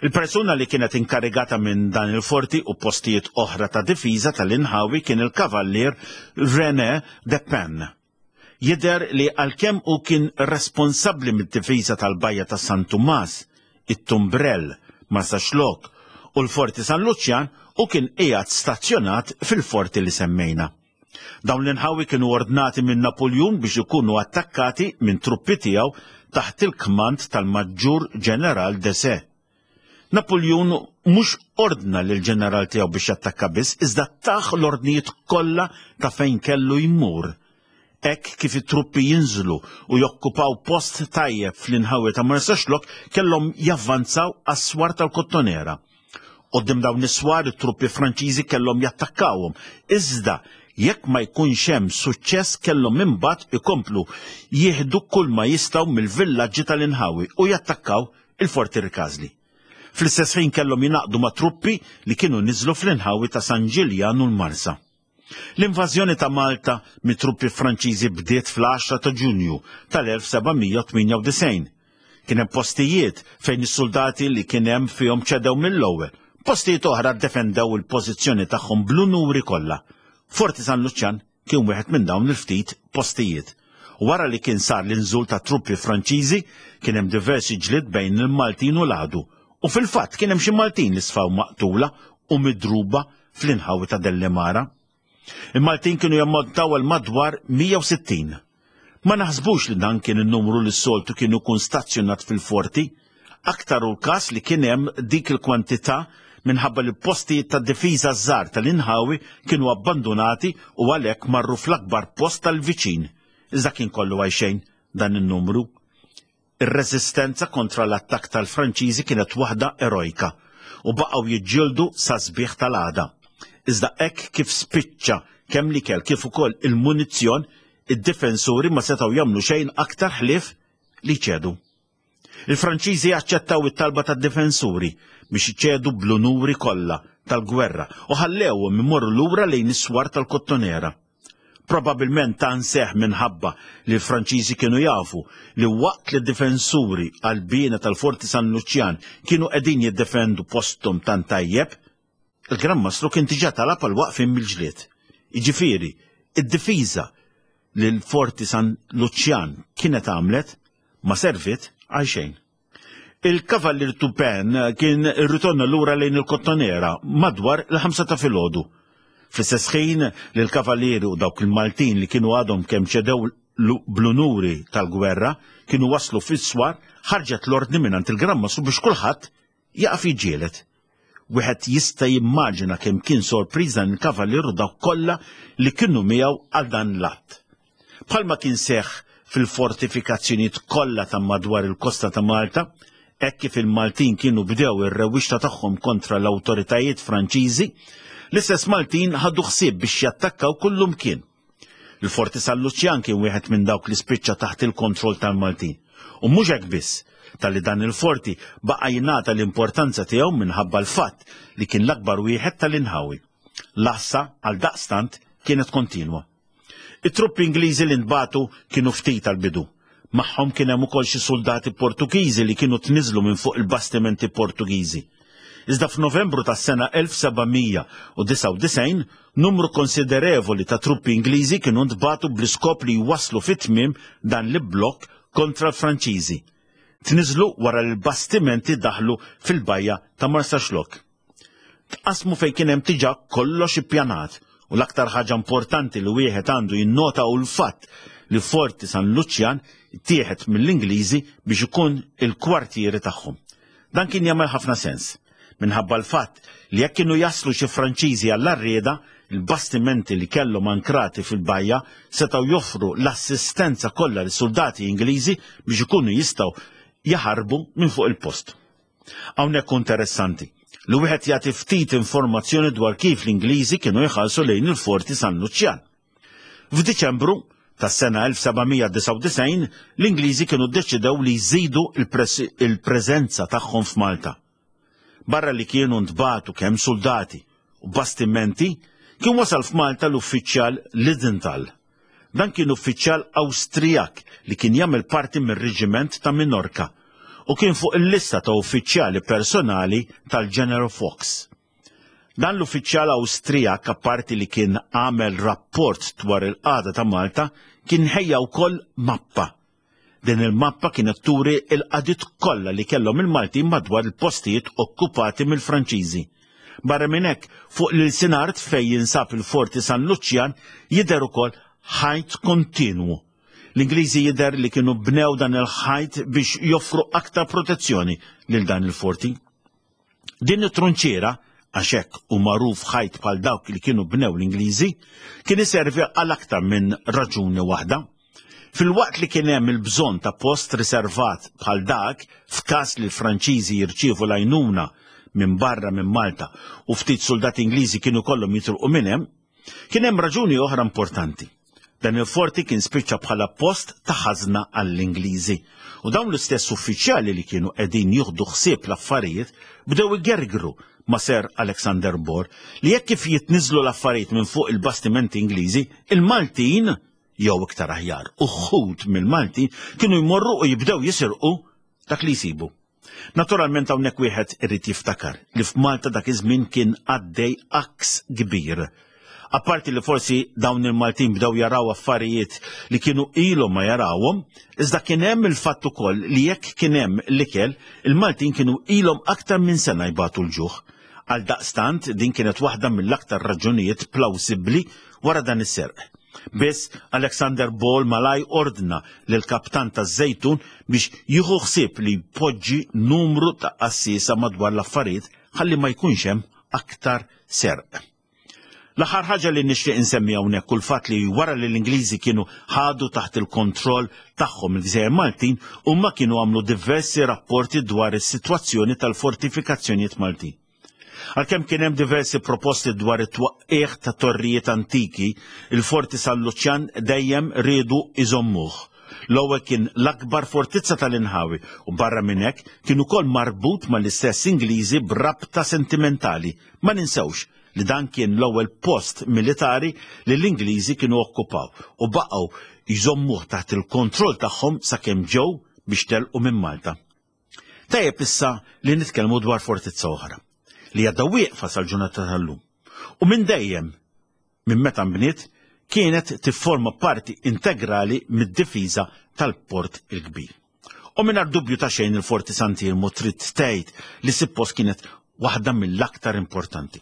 Il-persuna li kienet inkarigata minn dan il-forti u postijiet oħra ta' difiża tal-inħawi kien il-kavallier René de Pen. Jidher li għalkemm hu kien responsabbli mid-difiża tal-bajja ta' San Tumas, it-Tumbrell, Marsaxlokk u l-Forti San Luċjan, u kien qiegħed stazzjonat fil-forti li semmejna. Dawn l-inħawi kienu ordnati minn Napoljun biex ikunu attakkati minn truppi tiegħu taħt il-kmand tal-Maġġur Ġeneral Desaix. Napoljun mhux ordna lil ġeneral tiegħu biex jattakka biss, iżda taħ l-ordnijiet kollha ta' fejn kellu jmur. Hekk kif it-truppi jinżlu u jokkupaw post tajjeb fl-inħawi ta' Marsaxlokk kellhom javvanzaw għas-swar tal-Kottonera. Quddiem dawn is-swar it-truppi Franċiżi kellhom jattakkawhom, iżda jekk ma jkunx hemm suċċess kellhom imbagħad ikomplu jieħdu kull ma jistgħu mill-villaġġi tal-inħawi u jattakkaw il-Forti Rikażli. Fl-istess ħin kellhom jingħaqdu ma' truppi li kienu niżlu fl-inħawi ta' San Ġiljan u l-Marsa. L-invażjoni ta' Malta mit truppi Franċiżi bdiet fl-għaxra ta' Ġunju tal-elf seba' mija u tmienja u disgħin. Kien hemm postijiet fejn is-soldati li kien hemm fihom ċedew mill-ewwel. Postijiet oħra ddefendew il-pożizzjoni tagħhom bl-unuri kollha. Forti San Luċjan kien wieħed minn dawn il-ftit postijiet. Wara li kien sar l-inżul ta' truppi Franċiżi, kien hemm diversi ġlied bejn il-Maltin u l-għadu. U fil-fatt kien hemm xi Maltin li sfaw maqtula u midruba fl-inħawi ta' Dellimara. Il-Maltin kienu jammontaw għal madwar mija u sittin. Ma naħsbux li dan kien in-numru li s-soltu kienu jkun stazzjonat fil-forti, aktar u l-każ li kien hemm dik il-kwantità minħabba li postijiet ta' difiża żgħar tal-inħawi kienu abbandonati u għalhekk marru fl-akbar post tal-viċin. Iżda kien kollu għajxejn dan in-numru. Ir-reżistenza kontra l-attakk tal-Franċiżi kienet waħda erojka u baqgħu jiġġieldu sa sbieħ tal-għada. Iżda hekk kif spiċċa kemm l-ikel kif ukoll il-munizzjon, id-difensuri ma setgħu jagħmlu xejn aktar ħlief li ċedu. Il-Franċiżi aċċettaw it-talba tad-difensuri biex iċedu bl-unuri kollha tal-gwerra u ħallewhom imorru lura lejn is-swar tal-Kottonera. Probabilment ta' nseħ minħabba li l-Franċiżi kienu jafu li waqt li d-difensuri għall-bina tal-Forti San Luċjan kienu qegħdin jiddefendu posthom tant tajjeb, il-Gran Mastru kien diġà talab għal waqfien mill-ġlied. Jiġifieri, id-difiża li l-Forti San Luċjan kienet għamlet ma servit għal xejn. Il-Kavallier Turpin kien irritorna lura lejn il-Kottonera madwar il-ħamsa ta' filgħodu. Fl-istess ħin li l-Kavallieri u dawk il-Maltin li kienu għadhom kemm ċedew bl-unuri tal-gwerra kienu waslu fis-swar, ħarġet l-ordni mingħand il-Gran Mastru biex kulħadd jaqaf jiġġieled. Wieħed jista' jimmaġina kemm kien sorpriż dan il-Kavallier u dawk kollha li kienu miegħu għal dan l-att. Bħalma kien seħħ fil-fortifikazzjonijiet kollha ta' madwar il-kosta ta' Malta, hekk kif il-Maltin kienu bdew ir-rewwixta tagħhom kontra l-awtoritajiet Franċiżi, l-istess Maltin ħadu ħsieb biex jattakkaw kullumkien. Il-Forti San Luċjan kien wieħed minn dawk li spiċċa taħt il-kontroll tal-Maltin. U mhux hekk biss, talli dan il-forti baqa' jingħata l-importanza tiegħu minħabba l-fatt li kien l-akbar wieħed tal-inħawi. L-għassa għal daqstant kienet kontinwa. It-truppi Ingliżi li nbagħtu kienu ftit għal-bidu. Magħhom kien hemm ukoll xi soldati Portugiżi li kienu tniżlu minn fuq il-bastimenti Portugiżi. Iżda f'Novembru tas-sena elf seba' mija u disgħa u disgħin, numru konsiderevoli ta' truppi Ingliżi kienu ntbagħtu bl-iskop li jwasslu fit-tmiem dan l-blokk kontra l-Franċiżi. Tniżlu wara li l-bastimenti daħlu fil-bajja ta' Marsaxlokk. Tqasmu fejn kien hemm diġà kollox ippjanat, u l-aktar ħaġa importanti li wieħed għandu jinnota hu l-fatt li Forti San Luċjan ittieħed mill-Ingliżi biex ikun il-kwartieri tagħhom. Dan kien jagħmel ħafna sens, minħabba l-fatt li jekk kienu jaslu xi Franċiżi għall-arrieda, il-bastimenti li kellhom ankrati fil-bajja setgħu joffru l-assistenza kollha lis-soldati Ingliżi biex ikunu jistgħu jaħarbu minn fuq il-post. Hawnhekk hu interessanti li wieħed jagħti ftit informazzjoni dwar kif l-Ingliżi kienu jħallsu lejn il-Forti San Luċjan. F'Diċembru tas-sena elf seba' mija disgħa u disgħin, l-Ingliżi kienu ddeċidew li jżidu il-pres-, il-preżenza tagħhom f'Malta. Barra li kienu ntbagħtu kemm soldati u bastimenti, kien wasal f'Malta l-uffiċjal Lidenthal. Dan kien uffiċjal Awstrijak li kien jagħmel parti mir-reġiment ta' Minorca u kien fuq il-lista ta' uffiċjali personali tal-General Fox. Dan l-uffiċjal Awstrijak, apparti li kien għamel rapport dwar il-qagħda ta' Malta, kien ħejja wkoll mappa. Din il-mappa kienet turi il-qagħdiet kollha li kellhom il-Maltin madwar il-postijiet okkupati mill-Franċiżi. Barra minn hekk, fuq l-ilsinart fejn jinsab il-Forti San Luċjan jidher ukoll ħajt kontinwu. L-Ingliżi jidher li kienu bnew dan il-ħajt biex joffru aktar protezzjoni lil dan il-forti. Din it-trunċiera, għax hekk hu magħruf ħajt bħal dawk li kienu bnew l-Ingliżi, kien iservi għal aktar minn raġuni waħda. Fil-waqt li kien hemm il-bżonn ta' post riservat bħal dak f'każ li l-Franċiżi jirċievu l-għajnuna minn barra minn Malta u ftit soldati Ingliżi kienu kollhom jitilqu minn hemm, kien hemm raġuni oħra importanti. Dan il-forti kien spiċċa bħala post ta' ħażna għall-Ingliżi. U dawn l-istess uffiċjali li kienu qegħdin jieħdu ħsieb l-affarijiet bdew igergru ma' Sir Alexander Ball li jekk kif jitniżlu l-affarijiet minn fuq il-bastimenti Ingliżi, il-Maltin, jew iktar aħjar, uħud mill-Maltin kienu jmorru u jibdew jisirqu dak li jsibu. Naturalment hawnhekk wieħed irid jiftakar li f'Malta dak iż-żmien kien għaddej aks kbir. Apparti li forsi dawn il-Maltin bdew jaraw affarijiet li kienu ilhom ma jarawhom, iżda kien hemm il-fatt ukoll li jekk kien hemm l-ikel, il-Maltin kienu ilhom aktar minn sena jbatu l-ġuħ. Għal daqstant din kienet waħda mill-aktar raġunijiet plawsibbli wara dan is-serq. Biss Alexander Ball malaj ordna lil kaptan taż-Żejtun biex jieħu ħsieb li jpoġġi numru ta' qassiesa madwar l-affarijiet ħalli ma jkunx hemm aktar serq. L-aħħar ħaġa li nixtieq insemmi hawnhekk hu l-fatt li wara li l-Ingliżi kienu ħadu taħt il-kontroll tagħhom il-Gżejjer Maltin, huma kienu għamlu diversi rapporti dwar is-sitwazzjoni tal-fortifikazzjonijiet Maltin. Għalkemm kien hemm diversi proposti dwar it-twaqqigħ ta' torrijiet antiki, il-Forti San Luċjan dejjem riedu iżommuh. L-ewwel kien l-akbar fortizza tal-inħawi u barra minn hekk kien ukoll marbut mal-istess Ingliżi b'rabta sentimentali. Ma ninsewx li dan kien l-ewwel post militari li l-Ingliżi kienu okkupaw u baqgħu jżommuh taħt il-kontroll tagħhom sakemm ġew biex telqu minn Malta. Tajjeb issa li nitkellmu dwar fortizza oħra li għadha wieqfa sal-ġurnata tal-lum. U minn dejjem, minn meta nbniet, kienet tifforma parti integrali mid-difiża tal-Port il-Kbir. U mingħajr dubju ta' xejn il-Forti Sant'Iermu trid tgħid li suppost kienet waħda mill-aktar importanti.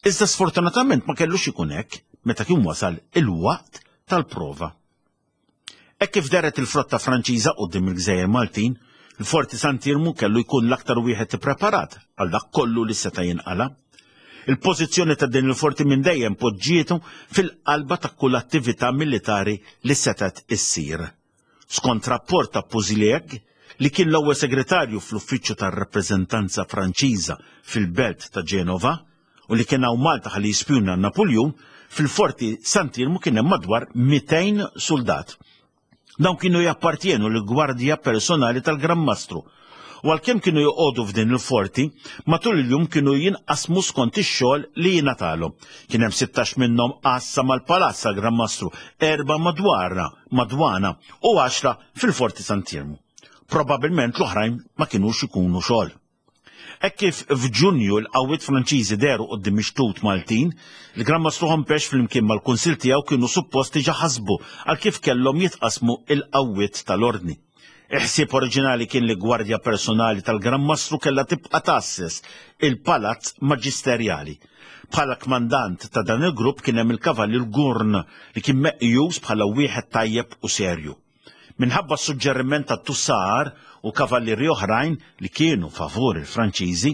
Iżda sfortunatament ma kellux ikun hekk meta kien wasal il-waqt tal-prova. Hekk kif deret il-frotta Franċiża quddiem il-Gżejjer Maltin, il-Forti Sant'Iermu kellu jkun l-aktar wieħed ippreparat għal dak kollu li seta' jinqala. Il-pożizzjoni ta' din il-forti minn dejjem poġġietu fil-qalba ta' kull attività militari li setgħet issir. Skont rapport ta' Pouzilhac, li kien l-ewwel segretarju fl-uffiċċju tar-rappreżentanza Franċiża fil-belt ta' Ġenova u li kien hawn Malta ħalli jispjuna Napuljun, fil-Forti Sant'Iermu kien hemm madwar mitejn suldat. Dawn kienu jappartjenu lill-gwardja personali tal-Gran Mastru. U għalkemm kienu joqogħdu f'din il-forti, matul il-jum kienu jinqasmu skont ix-xogħol li jingħatalhom. Kien hemm sittax minnhom għassa mal-palazz tal-Gran Mastru, erba' madwarna, madwana u għaxra fil-Forti Sant'Iermu. Probabilment l-oħrajn ma kinux ikunu xogħol. Hekk kif f'Ġunju l-qawwiet Franċiżi dehru quddiem ix-xtut Maltin, il-Gran Mastru Hompesch flimkien mal-Kunsill tiegħu kienu suppost diġà ħasbu għal kif kellhom jitqasmu l-qawwiet tal-Ordni. Il-ħsieb oriġinali kien li gwardja personali tal-Gran Mastru kellha tibqa' tgħasses il-Palazz Maġisterjali. Bħala kmandant ta' dan il-grupp kien hemm il-Kavallier Gurn li kien meqjus bħala wieħed tajjeb u serju. Minħabba s-suġġeriment ta' Tussar u kavallieri oħrajn li kienu favur il-Franċiżi,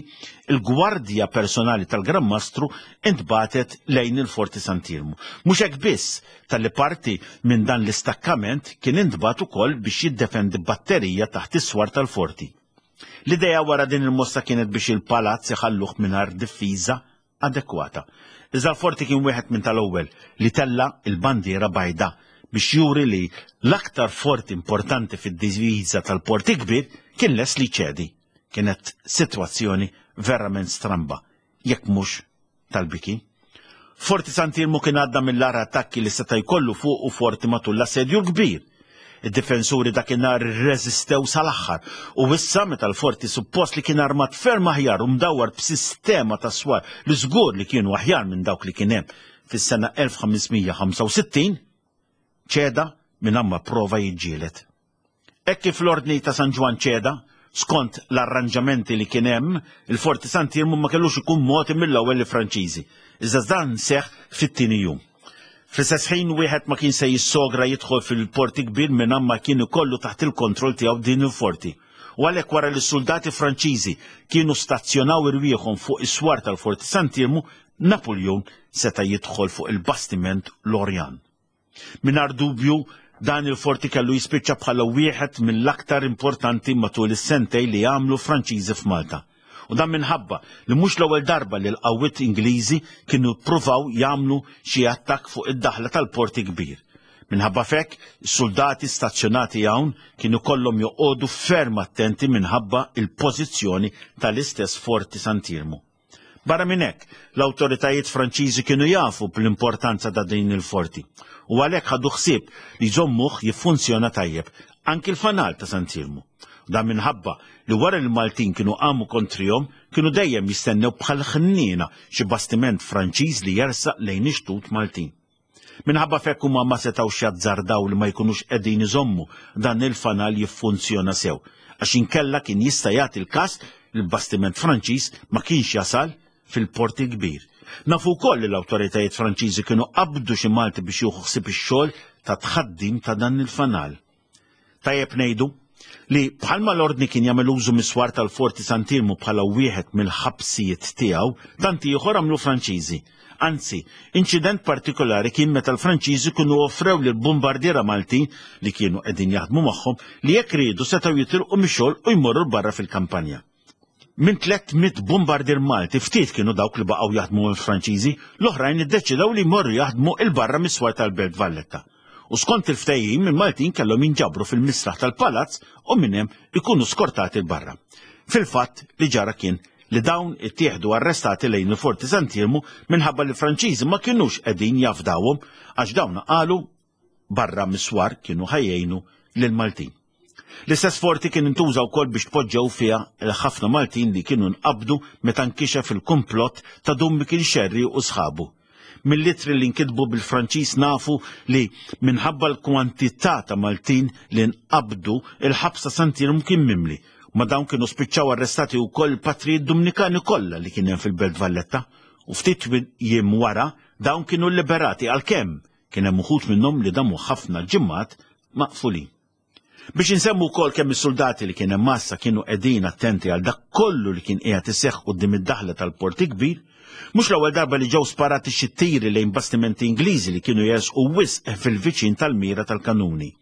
il-gwardja personali tal-Gran Mastru intbatet lejn il-Forti Sant'Iermu. Mhux hekk biss, talli parti minn dan l-istakkament kien intbat ukoll biex jiddefendi batterija taħt is-swar tal-forti. L-idea wara din il-mossa kienet biex il-palazz iħalluh mingħajr difiża adekwata. Iżda l-forti kien wieħed minn tal-ewwel li tella' l-bandiera bajda biex juri li l-aktar forti importanti fid-diviża tal-Port il-Kbir kien lest li jċedi. Kienet sitwazzjoni verament stramba, jekk mhux tal-biki. Forti Sant'Iermu kien għadda mill-agħar attakki li seta' jkollu fuqu forti matul l-assedju l-kbir. Id-difensuri dakinhar irreżistew sal-aħħar u issa meta l-forti suppost li kien armat ferm aħjar u mdawwar b'sistema ta' swar li żgur li kienu aħjar minn dawk li kien hemm fis-sena elf ħames mija ħamsa u sittin, ċeda minn ma prova jiġġieled. Hekk kif l-Ordni ta' San Ġwann ċeda, skont l-arranġamenti li kien hemm, il-Forti Sant'Iermu ma kellux ikun mogħti mill-ewwel lill-Franċiżi. Iżda dan seħħ fit-tieni jum. Fl-istess ħin wieħed ma kien se jissogra jidħol fil-Port Kbir minn ma kien ikollu taħt il-kontroll tiegħu din il-forti. U għalhekk wara li s-soldati Franċiżi kienu stazzjonaw irwieħhom fuq is-swar tal-Forti Sant'Iermu, Napoleon seta' jidħol fuq il-bastiment L'Orient. Mingħajr dubju, dan il-forti kellu jispiċċa bħala wieħed mill-aktar importanti matul is-sentej li għamlu Franċiżi f'Malta. U dan minħabba li mhux l-ewwel darba li l-qawwiet Ingliżi kienu ppruvaw jagħmlu xi attakk fuq id-daħla tal-Port Kbir. Minħabba fekk, is-soldati stazzjonati hawn kienu kollhom joqogħdu ferm attenti minħabba il-pożizzjoni tal-istess Forti Sant'Iermu. Barra minn hekk, l-awtoritajiet Franċiżi kienu jafu bl-importanza ta' din il-forti u għalhekk ħadu ħsieb li jżommuh jiffunzjona tajjeb anki l-fanal ta' Sant'Iermu. Dan minħabba li wara li l-Maltin kienu qamu kontrihom kienu dejjem jistennew bħal ħniena xi bastiment Franċiż li jersaq lejn ix-xtut Maltin. Minħabba fekk huma ma setgħux jazzardaw li ma jkunux qegħdin iżommu dan il-fanal jiffunzjona sew, għax inkella kien jista' jagħti l-każ li l-bastiment Franċiż ma kienx jasal fil-Port il-Kbir. Nafu wkoll li l-awtoritajiet Franċiżi kienu qabdu xi Malti biex jieħu ħsieb ix-xogħol ta' tħaddim ta' dan il-fanal. Tajjeb ngħidu li bħalma l-Ordni kien jagħmel użu mis-swar tal-Forti Sant'Iermu bħala wieħed mill-ħabsijiet tiegħu, tant ieħor għamlu Franċiżi. Anzi, inċident partikolari kien meta l-Franċiżi kienu offrew lil bombardiera Maltin li kienu qegħdin jaħdmu magħhom li jekk riedu setgħu jitilqu mix-xogħol u jmorru barra fil-kampanja. Minn tliet mitt bombardier Malti ftit kienu dawk li baqgħu jaħdmu mal-Franċiżi, l-oħrajn iddeċidew li jmorru jaħdmu il-barra mis-swar tal-Belt Valletta. U skont il-ftehim, il-Maltin kellhom jinġabru fil-misraħ tal-palazz u minn hemm ikunu skortati l-barra. Fil-fatt li ġara kien li dawn ittieħdu arrestati lejn il-Forti Sant'Iermu minħabba li l-Franċiżi ma kinux qegħdin jafdawhom għax dawn qalu barra mis-swar kienu ħajjejnu lill-Maltin. L-istess forti kien intuża wkoll biex tpoġġew fiha ħafna Maltin li kienu nqabdu meta nkixef il-kumplott ta' Dun Mikiel Xerri u sħabu. Mill-litri li nkitbu bil-Franċiż nafu li minħabba l-kwantità ta' Maltin li nqabdu il-ħabsa Sant'Iermu kien mimli. Ma dawn kienu spiċċaw arrestati wkoll il-patrijiet Dumnikani kollha li kien hemm fil-Belt Valletta. U ftit jiem wara dawn kienu liberati għalkemm kien hemm uħud minnhom li damu ħafna ġimgħat maqfulin. Biex insemmu wkoll kemm is-soldati li kien hemm massa kienu qegħdin attenti għal dak kollu li kien qiegħed iseħħ quddiem id-daħla tal-Port Kbir, mhux l-ewwel darba li ġew sparati xi tiri lejn bastimenti Ingliżi li kienu jersqu wisq fil-viċin tal-mira tal-kanuni.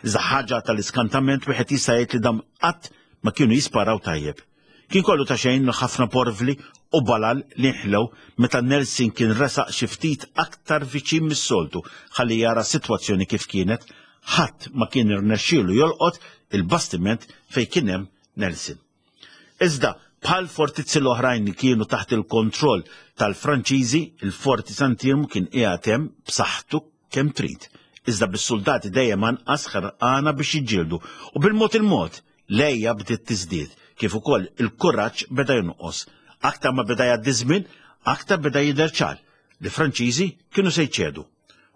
Iżda ħaġa tal-iskantament wieħed jista' jgħid li dam qatt ma kienu jisparaw tajjeb. Kien kollu ta' xejn li ħafna porvli u balal li nħlew meta Nelson kien resaq xi ftit aktar viċin mis-soltu ħalli jara s-sitwazzjoni kif kienet, ħadd ma kien irnexxielu jolqot il-bastiment fejn kien hemm Nelson. Iżda bħal fortizzi l-oħrajn li kienu taħt il-kontroll tal-Franċiżi, il-Forti Sant'Iermu kien qiegħed hemm b'saħħtu kemm trid. Iżda bis-soldati dejjem anqas ħerqana biex jiġġieldu u bil-mod il-mod l-għeja bdiet tiżdied kif ukoll il-kuraġġ beda jonqos. Aktar ma beda jgħaddi żmien, aktar beda jidher ċar li Franċiżi kienu se jċedu.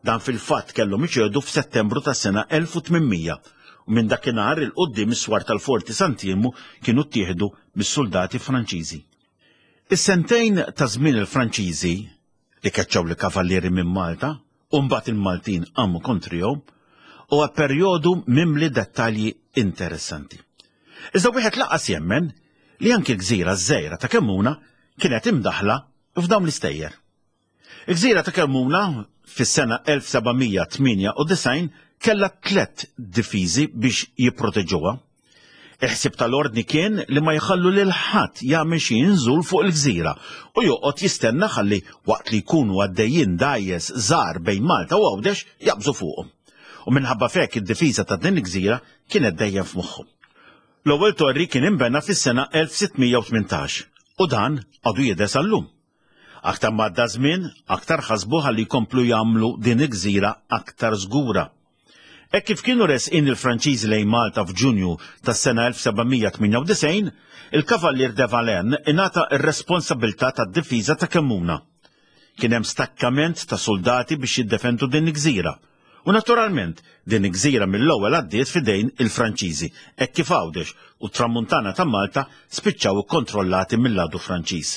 Dan fil-fatt kellhom iċedu f'Settembru tas-sena elf u tmien mija u minn dakinhar 'il quddiem is-swar tal-Forti Sant'Iermu kienu ttieħdu mis-soldati Franċiżi. Is-sentejn ta' żmien il-Franċiżi li keċċaw li kavallieri minn Malta u mbagħad il-Maltin qamu kontrihom huwa perjodu mimli dettalji interessanti. Iżda wieħed lanqas jemmen li anki l-gżira ż-żgħira ta' Kemmuna kienet imdaħla f'dawn l-istejjer. Il-gżira ta' Kemmuna fis-sena elf seba' mija tmienja u disgħin kellha tliet difiżi biex jipproteġuha. Il-ħsieb tal-ordni kien li ma jħallu lil ħadd jagħmel xi inżul fuq il-gżira u joqgħod jistenna ħalli waqt li jkunu għaddejjin dgħajjes żgħar bejn Malta u Għawdex jaqbżu fuqhom. U minħabba f'hekk id-difiża ta' din il-gżira kienet dejjem f'moħħhom. L-ewwel torri kien inbena fis-sena elf sitt mija u tmintax u dan għadu jidher sal-lum. Aktar ma għadda żmien, aktar ħasbu ħalli jkomplu jagħmlu din il-gżira aktar żgura. Hekk kif kienu resqin il-Franċiżi lejn Malta f'Ġunju tas-sena elf seba' mija tmienja u disgħin, il-Kavallier de Valen ingħata r-responsabilità tad-difiża ta' Kemmuna. Kien hemm stakkament ta' soldati biex jiddefendu din il-gżira. U naturalment, din il-gżira mill-ewwel għaddiet f'idejn il-Franċiżi, hekk kif Għawdex u t-Tramuntana ta' Malta spiċċaw ikkontrollati mill-għadu Franċiż.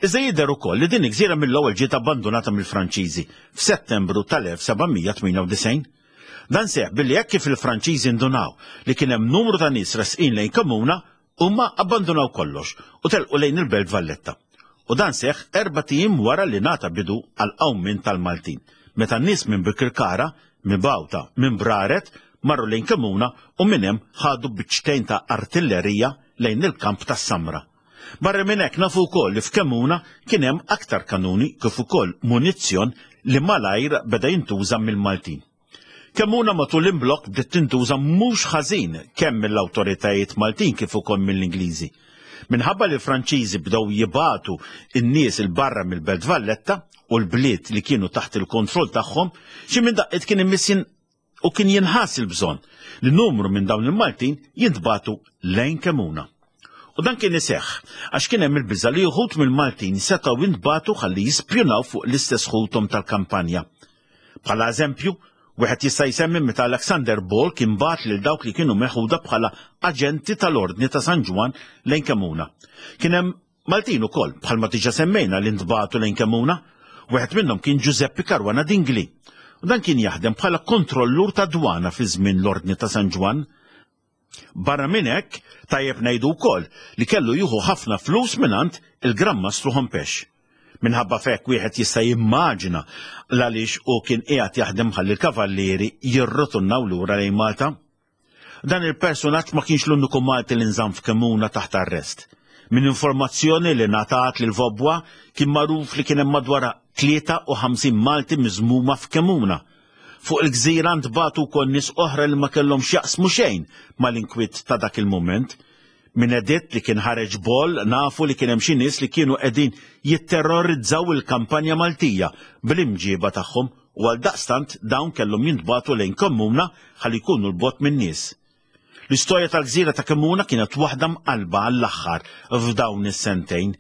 Iżda jidher ukoll li din il-gżira mill-ewwel ġiet abbandonata mill-Franċiżi f'Settembru tal-elf seba' mija tmienja u disgħin. Dan seħ billi hekk kif il-Franċiżi ndunaw li kien hemm numru ta' nies resqin lejn Kemmuna, huma abbandonaw kollox u telqu lejn il-Belt Valletta. U dan seħ erbat ijiem wara li ngħata bidu għal qawmien tal-Maltin. Meta n-nies minn Birkirkara, minn Bawta, minn Braret, marru lejn Kemmuna u minn hemm ħadu biċċtejn ta' artillerija lejn il-kamp tas-Samra. Barra minn hekk nafu wkoll li f'Kemmuna kien hemm aktar kanuni kif ukoll munizzjon li malajr beda jintuża mill-Maltin. Kemmuna matul l-imblokk bdiet tintuża mhux ħażin kemm mill-awtoritajiet Maltin kif ukoll mill-Ingliżi. Minħabba li l-Franċiżi bdew jibagħtu n-nies 'il barra mill-Belt Valletta u l-bliet li kienu taħt il-kontroll tagħhom, xi minn daqqiet kien immissin u kien jinħass il-bżonn li numru minn dawn il-Maltin jintbagħtu lejn Kemmuna. U dan kien iseħħ għax kien hemm il-biża' li uħud mill-Maltin setgħu jintbagħtu ħalli jispjunaw fuq l-istess ħuthom tal-kampanja. Bħala eżempju, wieħed jista' jsemmi meta Alexander Ball kien bagħat lil dawk li kienu meħuda bħala aġenti tal-Ordni ta' San Ġwann lejn Kemmuna. Kien hemm Maltin ukoll bħalma diġà semmejna li ntbagħtu lejn Kemmuna. Wieħed minnhom kien Giuseppe Caruana Dingli. U dan kien jaħdem bħala kontrollur ta' dwana fi żmien l-Ordni ta' San Ġwann. Barra minn hekk, tajjeb ngħidu wkoll li kellu jieħu ħafna flus mingħand il-Gran Mastru Hompesch. Minħabba f'hekk wieħed jista' jimmaġina għaliex u kien qiegħed jaħdem ħalli l-kavallieri jirritornaw lura lejn Malta. Dan il-personaġġ ma kienx l-uniku Malti li nżamm f'Kemmuna taħt arrest. Minn informazzjoni li ngħatat lil Vaubois kien magħruf li kien hemm madwar tlieta u ħamsin Malti miżmuma f'Kemmuna. Fuq il-gżira ntbagħtu wkoll nies oħra li ma kellhom x'jaqsmu xejn mal-inkwiet ta' dak il-mument. Minn editt li kien ħareġ Ball nafu li kien hemm xi nies li kienu qegħdin jitterrorizzaw il-kampanja Maltija bl-imġiba tagħhom u għal daqstant dawn kellhom jintbagħtu lejn Kemmuna ħalli jkunu 'l bogħod min-nies. L-istorja tal-gżira ta' Kemmuna kienet waħda mqalba għall-aħħar f'dawn is-sentejn.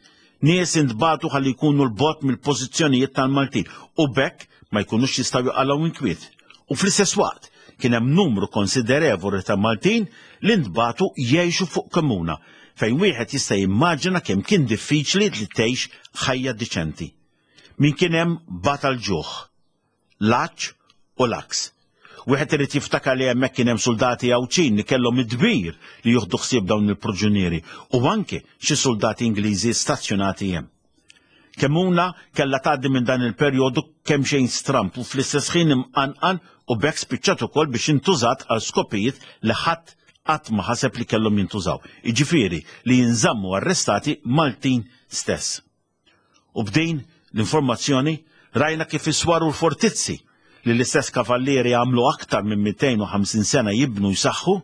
Nies intbagħtu ħalli jkunu 'l bogħod mill-pożizzjonijiet tal-Maltin u b'hekk ma jkunux jistgħu jqalgħu inkwiet. U fl-istess waqt kien hemm numru konsiderevoli ta' Maltin li ntbagħtu jgħixu fuq Kemmuna, fejn wieħed jista' jimmaġina kemm kien diffiċli li tgħix ħajja diċenti. Min kien hemm bata l-ġuħ, l-għatx u l-għaks. Wieħed irid jiftakar li hemmhekk kien hemm soldati Għawdxin li kellhom id-dmir li jieħdu ħsieb dawn il-proġunieri u anke xi soldati Ingliżi stazzjonati hemm. Kemmuna kellha tgħaddi minn dan il-perjodu kemm xejn stramp u fl-istess ħin imqanqal u b'hekk spiċċat ukoll biex intużat għal skopijiet li ħadd qatt ma ħaseb li kellhom jintużaw, jiġifieri li jinżammu arrestati Maltin stess. U b'din l-informazzjoni rajna kif is-swar u l-fortizzi li l-istess kavallieri għamlu aktar minn mitejn u ħamsin sena jibnu jsaħħu,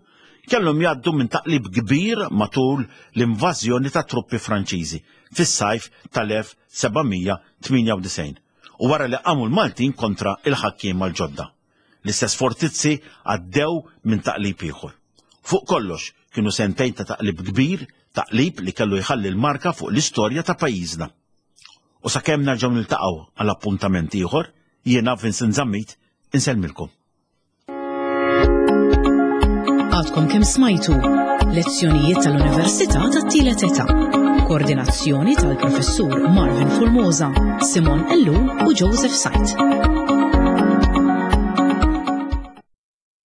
kellhom jgħaddu minn taqlib kbir matul l-invażjoni ta' truppi Franċiżi fis-sajf tal-elf seba' mija tmienja u disgħin u wara li qamu l-Maltin kontra il-ħakkiema l-ġodda. L-istess fortizzi għaddew minn taqlib ieħor. Fuq kollox kienu sentejn ta' taqlib kbir, taqlib li kellu jħalli l-marka fuq l-istorja ta' pajjiżna. U sakemm nerġgħu niltaqgħu għal appuntament ieħor, jiena Vincent Zammit insellmilkom. Għadkom kemm smajtu lezzjonijiet tal-Università tat-Tielet Età. Koordinazzjoni tal-Professur Marvin Formosa, Simon Ellul u Joseph Said.